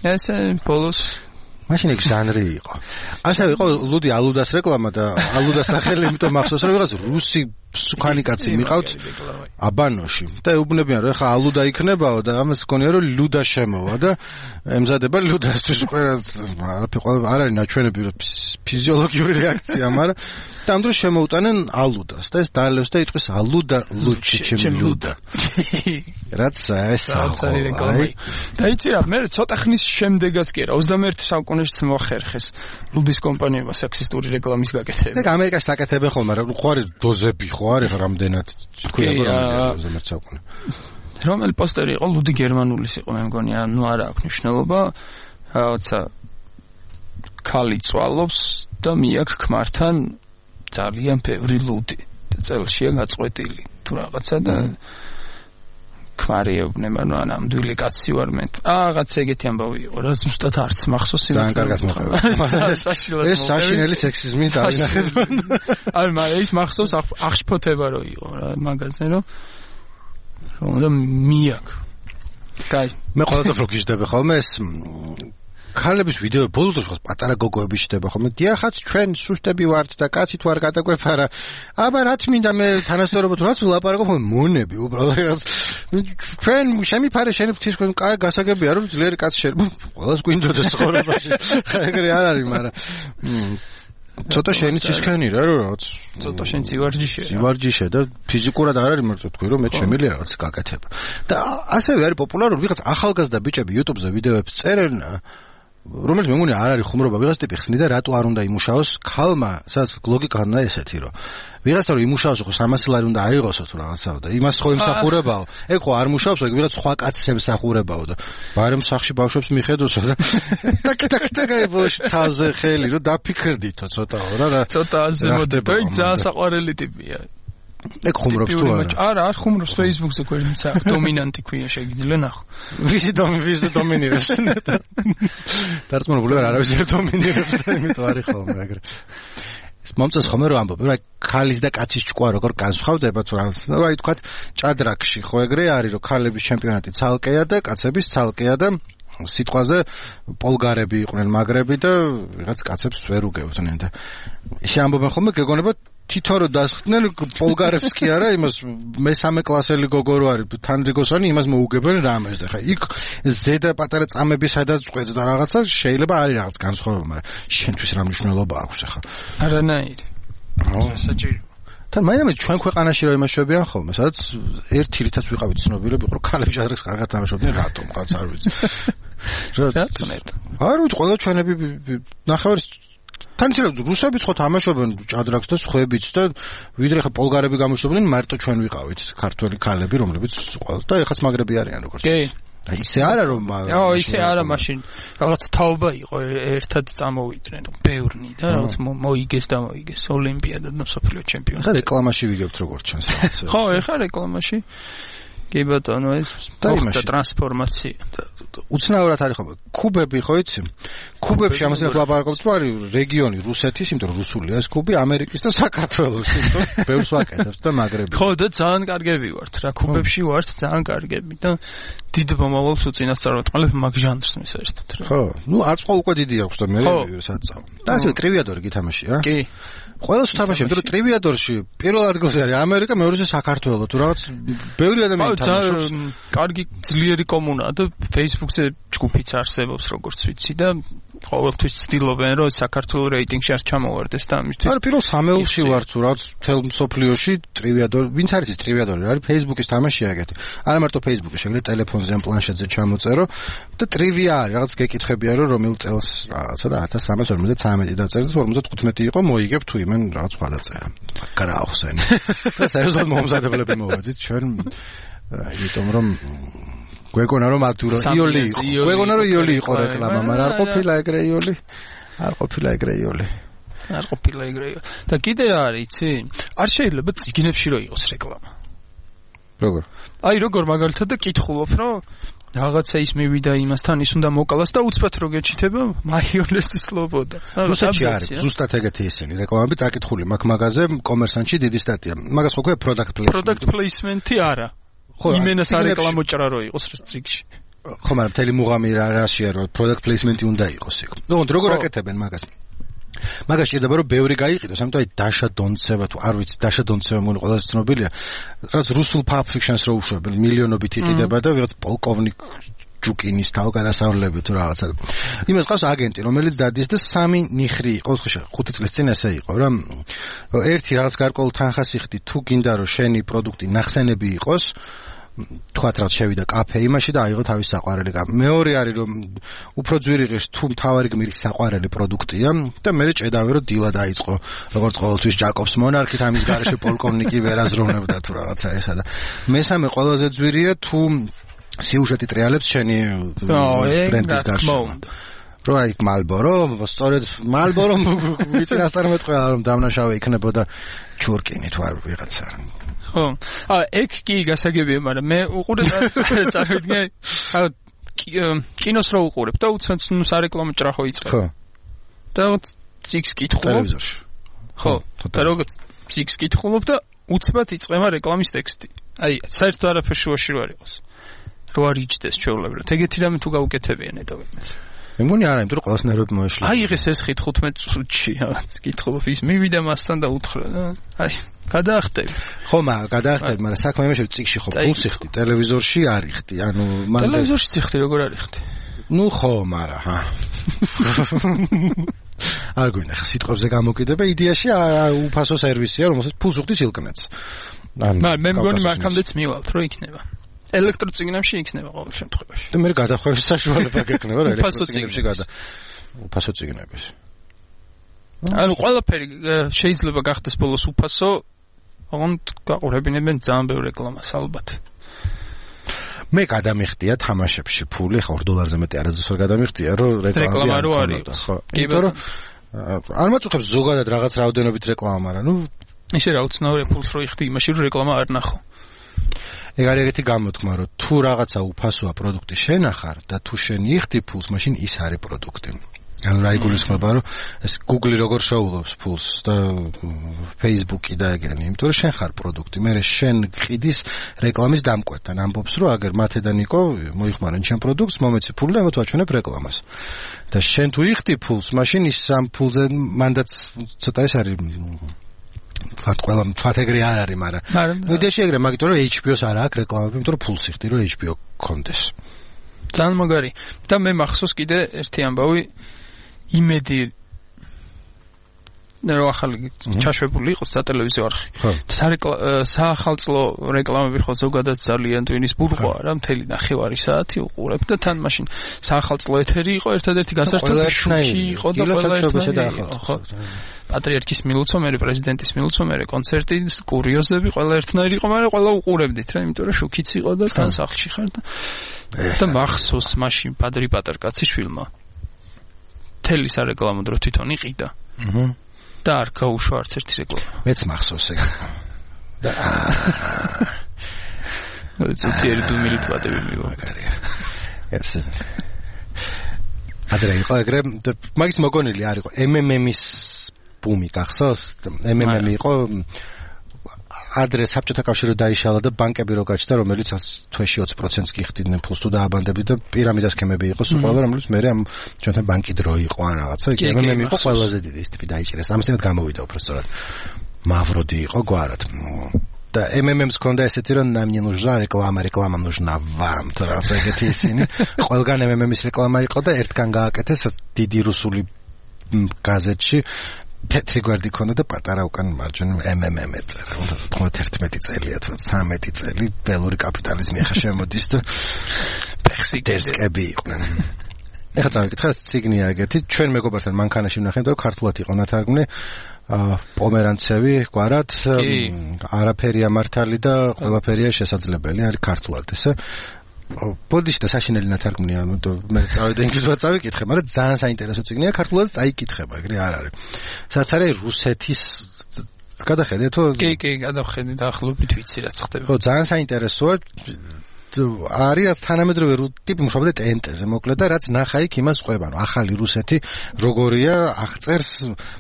C: ესე ბოლოს
A: მაშინ ეგ ჟანრი იყო. ასევე იყო ლუდი ალუდას რეკლამა და ალუდას სახელი იმიტომ მახსოვს რომ რაღაც რუსი სუქანი კაცი მიყავთ აბანოში და ეუბნებიან რომ ეხა ალუდა იქნებაო და ამას გქონია რომ ლუდა შემოვა და ემზადება ლუდასთვის არ არის ნაჩვენები ფიზიოლოგიური რეაქცია მაგრამ და ამ დროს შემოუტანენ ალუდას და ეს დაალევს და იტყვის ალუდა ლუჩი ჩემი ლუდა რაც ეს
C: არის რეკლამა და იცი რა მე ცოტა ხნის შემდეგაც კი რა 21 საუკუნეშიც მოახერხეს ლუდის კომპანიებმა სექსისტური რეკლამის გაკეთება
A: ეგ ამერიკაში საკეთებენ ხოლმე მაგრამ ხო არის დოზები ხო არის რამდენად თქვია რომ ზემერცაკუნე
C: რომელი პოსტერი იყო ლუდი გერმანულის იყო მე მგონი ანუ არა აქვს მნიშვნელობა რაღაცა ქალი წვალობს და მიაქ ქმართან ძალიან ბევრი ლუდი და წელშია გაწყვეტილი თუ რაღაცა და ქმარი ეუბნება ნუ ნამდვილი კაცი ვარ მე რაღაც ეგეთი ამბავი იყო რა ზუსტად არც მახსოვს
A: ძალიან კარგად მოხდება ეს საშინელი სექსიზმის დავინახეთ
C: არ მაგრამ ის მახსოვს აღშფოთება რო იყო რა მაგაზე რომ მიაკ კაი
A: მე ყოველთვის რო გიждდება ხოლმე ეს ქალების ვიდეო ბოლო დროს პატარა გოგოები შდება ხოლმე დიახაც ჩვენ სუსტები ვართ და კაცით ვარ გადაგვეფარა აბა რაც მინდა მე თანასწორობთ რაც ვლაპარაკობ მონები უბრალოდ ჩვენ შემიფარე შენ ფთისქვენ კაი გასაგებია რომ ძლიერი კაცი შეიძლება ყველას გვინდოდეს ცხოვრებაში ეგრე არ არის მაგრამ ცოტა შენი ცისქენი რა რაღაც
C: ცოტა შენ
A: ცივარჯიშე და ფიზიკურად არ არის მარტო თქვი რომ მე შემიძლია რაღაც გაკეთება და ასევე არის პოპულარული ვიღაც ახალგაზრდა ბიჭები YouTube-ზე ვიდეოებს წერენ რომელიც მე მგონი არ არის ხუმრობა ვიღაც ტიპი ხსნიდა რატო არ უნდა იმუშაოს ქალმა სადაც ლოგიკა უნდა ესეთი რომ ვიღაცთან რომ იმუშაოს ხო 300 ლარი უნდა აიღოსო თუ რაღაცა და იმას ხო იმსახურებაო ეგ ხო არ მუშაობს ეგ ვიღაც სხვა კაცს ემსახურებაო და ბარემ სახში ბავშვებს მიხედოსო და ტაკ თავზე ხელი რომ დაფიქრდითო ცოტაო რა
C: ცოტა ასე მოდება ეგ ძალიან საყვარელი ტიპია
A: ეგ ხუმრობს თუ
C: არა არ ხუმრობს Facebook-ზე გვერდიცა დომინანტი ქვია შეგიძლია ნახო
A: ვისი დომინირებს დარწმუნებული ვარ არავის ვერ დომინირებს და იმიტომ არის ხოლმე ეგრე ეს მომწონს ხოლმე რომ ამბობ რა ქალის და კაცის ჭკვა როგორ განსხვავდება თუ რა ითქვათ ჭადრაკში ხო ეგრე არის რომ ქალების ჩემპიონატი ცალკეა და კაცების ცალკეა და სიტყვაზე პოლგარები იყვნენ მაგრები და ვიღაც კაცებს ვერ უგებდნენ და შეამბობენ ხოლმე გეგონება თითო რო დასხდნენ პოლგარებს კი არა იმას მესამე კლასელი გოგო რო არის თანდრიგოსანი იმას მოუგებენ რამეს და ხა იქ ზედა პატარა წამები სადაც ყვეც და რაღაცა შეიძლება არის რაღაც განსხვავება მაგრამ შენთვის რა მნიშვნელობა აქვს ახლა
C: არანაირი საჭირო
A: თან მაინც ჩვენ ქვეყანაში რა იმაშობიან ხოლმე სადაც ერთი რითაც ვიყავით ცნობილები რომ ქალები ჟადრაკს კარგად თამაშობდნენ რატომ ყავს არ ვიცი
C: რატომ
A: არ ვიცი ყველა ჩვენები ნახევრის თან რუსებიც ხო თამაშობენ ჭადრაკს და სხვაებიც და ვიდრე ხა პოლგარები გამოჩნდნენ მარტო ჩვენ ვიყავით ქართველი ქალები რომლებიც ყველა და ეხაც მაგრები არიან როგორც ისე არა რომ
C: ისე არა მაშინ რაღაც თაობა იყო ერთად წამოვიდნენ ბევრნი და რაღაც მოიგეს და მოიგეს ოლიმპიადა და მსოფლიო ჩემპიონატი
A: ხა რეკლამაში ვიგებთ როგორც ჩანს
C: ხო ეხა რეკლამაში კი ბატონო ეს და ტრანსფორმაცია
A: უცნაურად არის ხო კუბები ხო იცი კუბებში ამასთან ლაპარაკობთ რომ არის რეგიონი რუსეთის იმიტომ რომ რუსულია ეს კუბი ამერიკის და საქართველოს იმიტომ ბევრს ვაკეთებთ და მაგრები
C: ხო და ძალიან კარგები ვართ რა კუბებში ვართ ძალიან კარგები და დიდ მომავალს უწინასწარმეტყველებ მაგ ჟანრს მისერთოთ რა
A: ხო ნუ აწყო უკვე დიდი აქვს და მე საწავ და ასე ტრივიადორი გითამაშია
C: კი
A: ყველას თამაშობ რომ ტრივიადორში პირველ ადგილზე არის ამერიკა მეორეზე საქართველო თუ რაღაც ბევრი ადამიანი თამაშობს
C: კარგი ძლიერი კომუნაა და Facebook-ზე ჯგუფიც არსებობს როგორც ვიცი და ყოველთვის ცდილობენ რომ საქართველოს რეიტინგში არ ჩამოვარდეს და ამისთვის
A: არა პირველ სამეულში ვარ თუ რაღაც თელ მსოფლიოში ტრივიადორი ვინც არის ეს ტრივიადორი არის Facebook-ის თამაშია ეგეთი არა მარტო Facebook-ში შეგიძლია ტელეფონზე ან პლანშეტზე ჩამოწერო და ტრივია არის რაღაც გეკითხებია რომ რომელ წელს რაღაცა და 1353 დაწერეთ 55 იყო მოიგებ თუ იმენ რაღაც სხვა დაწერა გრაახსენ და სერიოზულად მომზადებლები მოვედით ჩვენ იმიტომ რომ გვეგონა რომ ატურო იოლი იყო გვეგონა რომ იოლი იყო რეკლამა მაგრამ არ ყოფილა ეგრე იოლი არ ყოფილა ეგრე
C: და კიდე რა არის იცი არ შეიძლება ციგნებში რო იყოს რეკლამა როგორ მაგალითად და კითხულობ რომ რაღაცა ის მივიდა იმასთან ის უნდა მოკალას და უცბად რო გეჩითება მაიონეზის სლობოდა
A: რუსეთში არის ზუსტად ეგეთი ისინი რეკლამები წაკითხული მაგაზე კომერსანტში დიდი სტატია მაგას ხო ქვია
C: product placement-ი არა იმენას არეკლამო ჭრა რო იყოს ციგში
A: ხო მაგრამ მთელი მუღამი რაშია რომ product placement-ი უნდა იყოს იქ ნუ როგორ აკეთებენ მაგას სჭირდება რომ ბევრი გაიყიდოს ამიტომ აი დაშა დონცევა თუ არ ვიცი დაშა დონცევა მოგონი ყველაზე ცნობილია რაც რუსულ pulp fiction-ს რო უშვებენ მილიონობით იყიდება და ვიღაც პოლკოვნიკ ჯუკინის თავ გადასავლები თუ რაღაცა იმას ყავს აგენტი რომელიც დადის და სამი ნიხრი იყო 5 წლის წინ ესე იყო რა ერთი რაღაც გარკვეულ თანხას იხდი თუ გინდა რომ შენი პროდუქტი ნახსენები იყოს თქვათ რაც შევიდა კაფე იმაში და აიღო თავის საყვარელი კაფე. მეორე არის რომ უფრო ძვირი ღირს თუ მთავარი გმირის საყვარელი პროდუქტია და მე ჭედავე რომ დილა დაიწყო როგორც ყოველთვის ჯაკობს მონარქით ამის გარეშე პოლკოვნიკი ვერაზროვნებდა თუ რაღაცა ესა და მესამე ყველაზე ძვირია თუ სიუჟეტი ტრიალებს შენი ბრენდის გარშემო. რო აი მალბორო, სწორედ მალბორო ვიცინასწარმეტ ყველა რომ დამნაშავე იქნებოდა ჩურკინი თუ არ ვიღაცა.
C: ხო. ეგ კი გასაგებია, მაგრამ მე უყურებ წავიდგე, კინოს რო უყურებ და უცებ ნუ სარეკლამო ჭრახო იწყებ.
A: ხო.
C: და ციკს კითხულობ.
A: ტელევიზორში.
C: ხო. და როგორც ციკს კითხულობ და უცბად იწყება რეკლამის ტექსტი. აი, საერთოდ არაფერში შუაში რო არ იყოს. რო არ იჭდეს ჩვეულებრივ. ეგეთი რამე თუ გაუკეთებიან ედავინეს.
A: მე მგონი არა, იმიტომ რომ ყველას ნერვები მოეშლება.
C: აი ეს 5-15 წუთში რაღაც კითხულობ ის მივიდა მასთან და უთხრა. აი, გადაახტები.
A: ხო, გადაახტები, მაგრამ საქმე იმაში რომ ციკში ხო ფულს იხდი, ტელევიზორში არ იხდი. ანუ
C: მან ტელევიზორში ციხდი როგორ არ იხდი?
A: ნუ ხო, მაგრამ ჰა. არ გვინდა ხა სიტყვებზე გამოკიდება, იდეაში უფასო სერვისია, რომელსაც ფულს უხდის ილკნეთს.
C: მე მგონი მაგამდეც მივალთ, რომ იქნება. ელექტროწიგნებში იქნება ყოველ შემთხვევაში.
A: და მე გადახვევის საშუალება გექნება რა ელექტროწიგნებში უფასო წიგნების.
C: ანუ ყველაფერი შეიძლება გახდეს ბოლოს უფასო, ოღონდ გაყურებინებენ ძალიან ბევრ რეკლამას ალბათ.
A: მე გადამიხდია თამაშებში ფული, ხო $2 მეტი არასდროს არ გადამიხდია, რომ
C: რეკლამა რო არის.
A: ხო. იმიტომ რომ არ მაწუხებს ზოგადად რაღაც რაოდენობით რეკლამა, მაგრამ ნუ
C: ისე რა უცნაური ფულს რო იხდი იმაში რომ რეკლამა არ ნახო.
A: ეგ არის ეგეთი გამოთქმა, რომ თუ რაღაცა უფასოა პროდუქტი შენახარ და თუ შენ იხდი ფულს, მაშინ ის არის პროდუქტი. ანუ რა იგულისხმება, რომ ეს Google როგორ შოულობს ფულს და Facebook-ი და ეგენი, იმიტომ რომ შენ ხარ პროდუქტი. მე შენ ყიდის რეკლამის დამკვეთთან, ამბობს, რომ აგერ მათედან იყო, მოიხმარენ შენ პროდუქტს, მომეცი ფული და მოვაჩვენებ რეკლამას. და შენ თუ იხდი ფულს, მაშინ ის ამ ფულზე მანდაც ცოტა ეს არის თქვათ ყველა თქვათ ეგრე არ არის, მაგრამ იდეაში ეგრე, მაგიტომ რომ HBO-ს არ აქვს რეკლამები, იმიტომ რომ ფულს იხდი, რომ HBO გქონდეს.
C: ძალიან მაგარი. და მე მახსოვს კიდე ერთი ამბავი იმედი რომ ახალი ჩაშვებული იყოს სატელევიზიო არხი. საახალწლო რეკლამები ხო ზოგადად ძალიან ტვინის ბურღვა რა, მთელი 9 საათი უყურებ და თან მაშინ საახალწლო ეთერი იყო ერთადერთი გასართობი შუქი იყო და ყველა ერთნაირი. ხო. პატრიარქის მილოცომერი, პრეზიდენტის მილოცომერი, კონცერტი, კურიოზები, ყველა ერთნაირი იყო, მაგრამ ყველა უყურებდით რა, იმიტომ რომ შუქიც იყო და თან სახლში ხარ და მახსოვს მაშინ პადრი პატარკაციშვილმა თელი სარეკლამო დრო თვითონ იყიდა. და არ გაუშვა არც ერთი რეკლამა.
A: მეც მახსოვს ეგ. და
C: ზოგიერთი დუმილი თვატები მივაგარია.
A: ებსე. ადრე იყო ეგრე, მაგის მოგონილი არ იყო MMM-ის ბუმი გახსოვს? MMM იყო ადრე საბჭოთა კავშირი დაიშალა და ბანკები რო გაჩნდა, რომელიც თვეში 20%-ს გიხდიდნენ ფულს თუ დააბანდებდი და პირამიდა სქემები იყო სულ ყველა, რომელიც მე ამ ჩვენთან ბანკი დრო იყო ან რაღაცა. MMM იყო ყველაზე დიდი ის ტიპი დაიჭირეს. ამასთანავე გამოვიდა უბრალოდ. Мавроди იყო გვარად. და MMM-ს ქონდა ესეთი რომ нам не нужна реклама, реклама нужна вам. თორემ ეგეთი ისინი. ყველგან MMM-ის რეკლამა იყო და ერთგან გააკეთეს დიდი რუსული გაზეთში თეთრი გვერდი ქონდა და პატარა უკან მარჯვენა MMM ეწერა. 91 წელია თუ 13 წელი ბელური კაპიტალიზმი ახლა შემოდის და ფექსიკები იყვნენ. ეხლა წავიკითხე ციგნია ეგეთი. ჩვენ მეგობართან მანქანაში ვნახეთ რომ ქართულად იყო ნათარგმნი. პომერანცევი გვარად არაფერია მართალი და ყველაფერია შესაძლებელი არის ქართულად ესე ბოდიში და საშინელი ნათარგმნია მე წავედი ინგლისურად წავიკითხე მაგრამ ძალიან საინტერესო წიგნია ქართულად წაიკითხება ეგრე არ არის სადაც არის რუსეთის გადახედე თუ
C: კი გადავხედე და ახლობით ვიცი რაც ხდება
A: ხო ძალიან საინტერესოა არის თანამედროვე ტიპი მუშაობდა ტენტეზე მოკლედ და რაც ნახა იქ იმას ყვება რომ ახალი რუსეთი როგორია აღწერს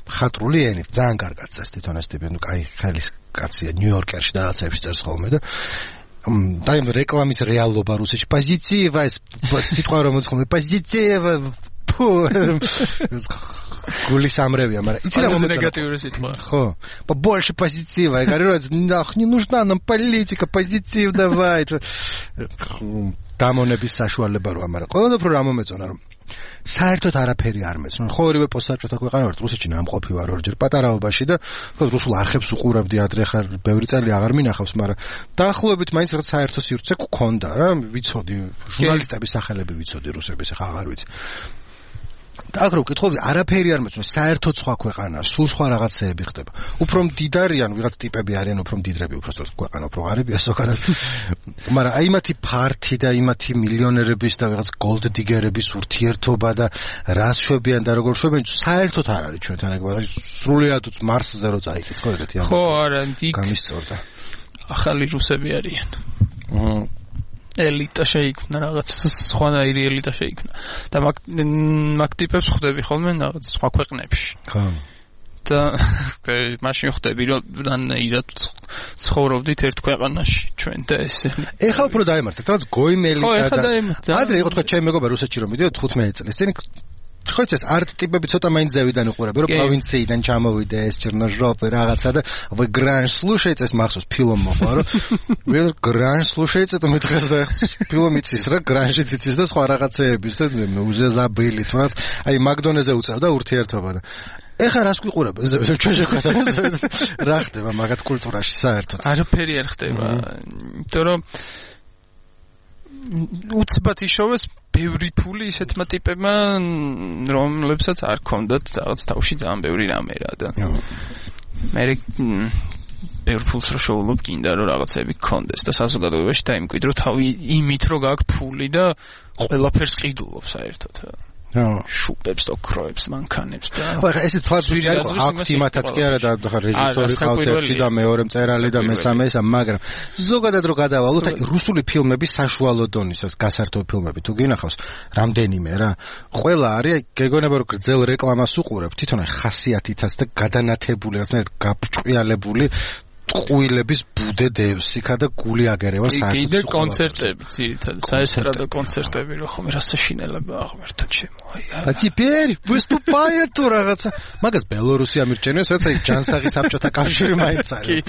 A: მხატვრული ენით ძალიან კარგად წერს თვითონ ეს ტიპი ნუ კაი ხალის კაცია ნიუ-იორკერში და რაღაცებში წერს ხოლმე და და რეკლამის რეალობა რუსეთში პოზიტივა ეს სიტყვა რომ მოცხობ პოზიტივა გული სამრევია, მაგრამ იცი რა მომეწონა
C: ნეგატიური სიტყვა.
A: ხო. Побольше позитива. Я говорю, не нужна нам политика, позитив давай. დამონების საშუალება რო ამარა. ყველაფერი რა მომეწონა რომ საერთოდ არაფერი არ მეცნო. ხო ორივე პოსტსაბჭოთა ქვეყანა ვარ, რუსეთში ნამყოფი ვარ ორჯერ პატარაობაში და რუსულ არხებს უყურებდი ადრე ხარ ბევრი წელი აღარ მინახავს, მაგრამ დაახლოებით მაინც რაღაც საერთო სივრცე გქონდა რა, ვიცოდი ჟურნალისტების სახელები ვიცოდი რუსების, ახლა აღარ ვიცი. აქ რო ვკითხავდი, არაფერი არ მეცნო, საერთოდ სხვა ქვეყანა, სულ სხვა რაღაცეები ხდება. უფრო მდიდარიან, ვიღაც ტიპები არიან, უფრო მდიდრები, უფრო სწორად ქვეყანა უფრო ღარიბია ზოგადად. მაგრამ აი მათი ფართი და იმათი მილიონერების და ვიღაც გოლდდიგერების ურთიერთობა და რას შვებიან და როგორ შვებიან, საერთოდ არ არის ჩვენთან ეგ, სრულიად მარსზე რო წაიქეთ, ხო ეგეთი
C: ხო, არა,
A: გამისწორდა.
C: ახალი რუსები არიან. ელიტა შეიქმნა რაღაც სხვანაირი ელიტა შეიქმნა და მაგ ტიპებს ხვდები ხოლმე რაღაც სხვა ქვეყნებში.
A: ხო.
C: და მაშინ ხვდები რომ რანაირად ცხოვრობდით ერთ ქვეყანაში ჩვენ და ესე.
A: ეხლა უფრო დაემართეთ, რაღაც გოიმელი და ადრე იყო თქვა ჩემი მეგობარი რუსეთში რომ მიდიოდა 15 წელს. ისინი ხო ეს არტ ტიპები ცოტა მაინც ზევიდან უყურებენ რომ პროვინციიდან ჩამოვიდა ეს ჩერნოჟოპი რაღაცა და вы гранж слушаете ეს მახსოვს ფილმ მოხდა რომ вы гранж слушаете და მეთქეს და ფილმ იცის რა гранжიც იცის და სხვა რაღაცეების და უზე забыли თუნდაც აი მაკდონეზე უწევდა ურთიერთობა და ეხლა რას გვიყურებ ჩვენ შეხვდა რა ხდება მაგათ კულტურაში საერთოდ
C: არაფერი არ ხდება იმიტომ რომ უცბად იშოვეს ბევრი ფული ისეთმა ტიპებმა რომლებსაც არ ქონდათ რაღაც თავში ძალიან ბევრი რამე რა და მე ბევრ ფულს რო შოულობ გინდა რომ რაღაცები გქონდეს და საზოგადოებაში დაიმკვიდრო თავი იმით რომ გაქვს ფული და ყველაფერს ყიდულობ საერთოდ შუპებს და ქროებს მანქანებს და
A: ახლა ესეც თვალწინ არის აქტი მათაც კი არა და ხა რეჟისორი ყავთ ერთი და მეორე მწერალი და მესამე ისა მაგრამ ზოგადად რო გადავალოთ რუსული ფილმები საშუალო დონისას გასართობ ფილმები თუ გინახავს რამდენიმე რა ყველა არის გეგონება რომ გრძელ რეკლამას უყურებ თვითონ ხასიათითაც და გადანათებული ასეთ გაბჭყიალებული ყუილების ბუდე დევსიქა და გული აგერევა საერთოდ
C: კიდე კონცერტები ძირითადად საესტრადო კონცერტები რო ხომ რასაშინელება აღმერთო ჩემო აი
A: а теперь выступает თუ რაღაცა მაგას ბელორუსი ამირჩენებს რაც აი ჯანსაღი საბჭოთა კავშირი მაინც არის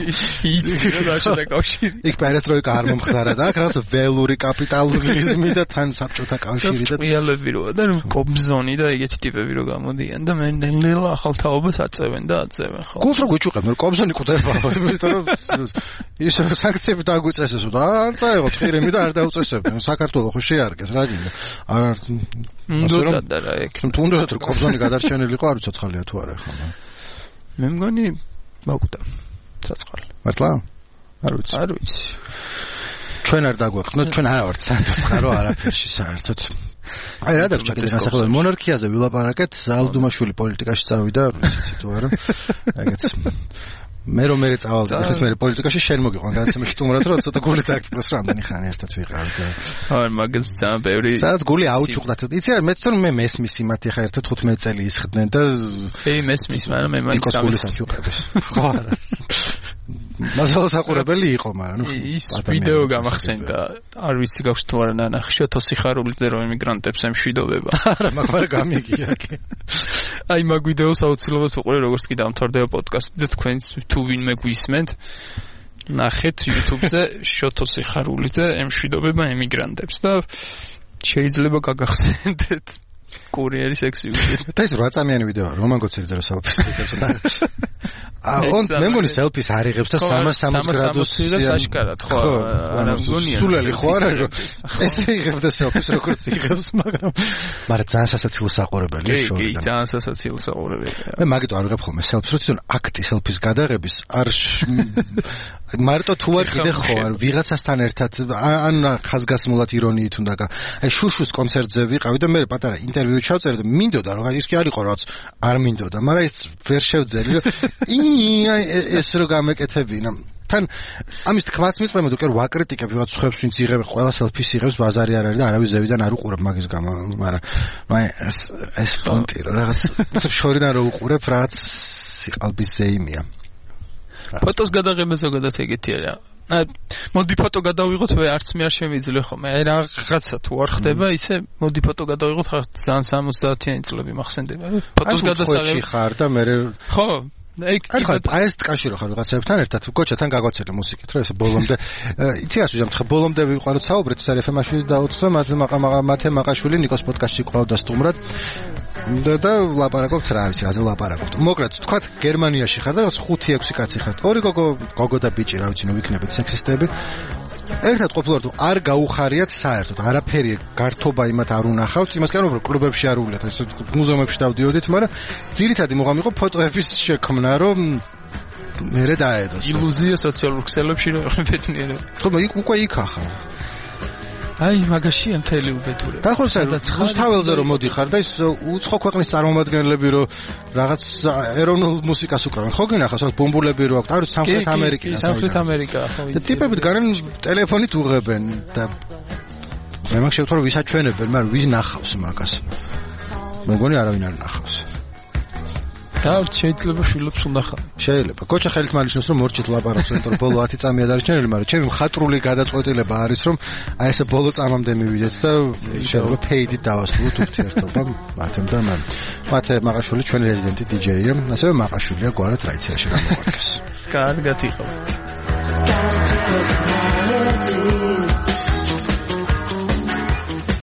C: იცი რა საბჭოთა კავშირი
A: იქ პერესტროიკა არ მომხდარა და აქ რაღაც ველური კაპიტალიზმი და თან საბჭოთა კავშირი და
C: ყიალები როა და კობზონი და ეგეთი ტიპები რო გამოდიან და მე ნელ-ნელა ახალ თაობას აწევენ და აწევენ ხო
A: გულს რო გვიჭუყებენ კობზონი ყვდება ის სანქციები დაგვიწესეს და არ წაიღოთ ხირემი და არ დაუწესებდნენ საქართველოს ხო შეარგეს რა გინდა არ
C: უნდა და რა ეგ
A: თუნდაც რომ კობზონი გადარჩენილიყო არ უცოცხალია თუ არა ხო
C: მე მგონი მოკვდა ცოცხალი
A: მართლა
C: არ ვიცი
A: ჩვენ არ დაგვეყნოთ ჩვენ არა ვართ სანდოცხარო არაფერში საერთოდ აი რა დაგჭა კიდე განსახილველი მონარქიაზე ვილაპარაკეთ ზალდუმაშვილი პოლიტიკაში წავიდა რუსეთში თუ არა ეგეც მე რომ მე წავალდი ეს მე პოლიტიკაში შენ მოგიყვან გადაცემაში თუმრად რომ ცოტა გული დააგწყვეს რამდენი ხანი ერთად ვიყავით
C: აი მაგას ძალიან ბევრი
A: სადაც გული აუჭუყდათ იცი რა მე თვითონ მე მესმის იმათ ხა ერთად 15 წელი ისხდნენ და
C: მესმის მაგრამ მე მაინც
A: გამისაჭუყებს ხო არა მასალა საყურებელი იყო მაგრამ
C: ის ვიდეო გამახსენდა არ ვიცი გაქვს თუ არა ნანახი შოთოსი ხარულიძე რომ იმიგრანტებს ემშვიდობება
A: არა მაგრამ გამიგია კი
C: აი მაგ ვიდეოს აუცილებლად უყურე როგორც კი დამთავრდება პოდკასტი და თქვენ თუ ვინმე გვისმენთ ნახეთ YouTube-ზე შოთოსი ხარულიძე ემშვიდობება ემიგრანტებს და შეიძლება გაგახსენდეთ კურიერის ექსიუზი
A: და ეს 8 წამიანი ვიდეოა რომან გოცელიძე რო სელფის და მე მგონი სელფის არ იღებს და 360 გრადუსს
C: იღებს აშკარად ხო არა მგონია
A: სულელი ხო არა ესე იღებს და სელფის როგორც იღებს მაგრამ ძალიან სასაცილო საყურებელია
C: შორი კი ძალიან სასაცილო საყურებელია
A: მე მაგიტო არ ვიღებ ხოლმე სელფის რო თვითონ აქტი სელფის გადაღების არ მარტო თუ არ კიდე ხო არ ვიღაცასთან ერთად ან ხაზგასმულად ირონიით უნდა აი შუშუს კონცერტზე ვიყავი და მე პატარა ინტერვიუ ჩავწერე და მინდოდა რომ ის კი არ იყო რაც არ მინდოდა მაგრამ ის ვერ შევძელი რომ ეს რო გამეკეთებინა თან ამის თქმაც მიწმე მე თუ ვაკრიტიკებ ვიღაც ხებს ვინც იღებს ყველა სელფის იღებს ბაზარი არ არის და არავის ზევიდან არ უყურებ მაგის გამო მაგრამ ეს პონტი რო რაღაც შორიდან რო უყურებ რაღაც სიყალბის ზეიმია
C: ფოტოს გადაღება ზოგადად ეგეთი არა მოდი ფოტო გადავიღოთ მე არც მე არ შემიძლია ხომ მე რაღაცა თუ არ ხდება ისე მოდი ფოტო გადავიღოთ ხარ ძალიან 70-იანი წლები მახსენდება ფოტოს გადასაღები
A: ხარ და მე
C: ხო
A: აი ეს ტკაში რო ხარ ვიღაცებთან ერთად გოჩათან გაგვაცერე მუსიკით რომ ესე ბოლომდე იცი რას ვიზამ ხა ბოლომდე ვიყაროთ საუბრეთ სარიფემაშვილი დაუწყო მათე მაყაშვილი ნიკოს პოდკასტში ყავდა სტუმრად და ლაპარაკობთ რა ვიცი აზე ლაპარაკობთ მოკლედ თქვათ გერმანიაში ხარ და 5-6 კაცი ხართ ორი გოგო და ბიჭი რა ვიცი ნუ ვიქნებით სექსისტები ერთად ყოფილვართ არ გაუხარიათ საერთოდ არაფერი გართობა იმათ არ უნახავთ იმას კი რომ კლუბებში არ უვლიათ ეს მუზეუმებში დავდიოდით მაგრამ ძირითადი მოღამი იყო ფოტოების შექმნა რომ მერე დაედოს
C: ილუზია სოციალურ ქსელებში რომ ბედნიერება
A: ხო უკვე იქ ახლა
C: აი მაგაშია მთელი უბედურება.
A: დაახლოებით რუსთაველზე რომ მოდიხარ და ის უცხო ქვეყნის წარმომადგენლები რომ რაღაც ეროვნულ მუსიკას უკრავენ. ხო გინახავს აქ ბომბულები რო აქვს, არის სამხრეთ ამერიკა.
C: სამხრეთ ამერიკა ხო.
A: და ტიპებით გარენ ტელეფონით უღებენ და მე მაგ შევთვალე რომ ვისაჩვენებენ, მაგრამ ვის ნახავს მაგას. მეგონი არავინ არ ნახავს.
C: და შეიძლება შვილებს უნდა ხარ.
A: შეიძლება. გოჩა ხელით მანიშნოს რომ მორჩით ლაპარაკს, იმიტომ რომ ბოლო 10 წამია დარჩენილი, მაგრამ ჩემი მხატვრული გადაწყვეტილება არის რომ აი ესე ბოლო წამამდე მივიდეთ და შეიძლება ფეიდით დავასრულოთ ურთიერთობა მათემ და მან. მათე მაყაშვილი ჩვენ რეზიდენტი DJ-ია, ასევე მაყაშვილია გვარად რაიციაში გამოგვარქეს.
C: კარგად იყო.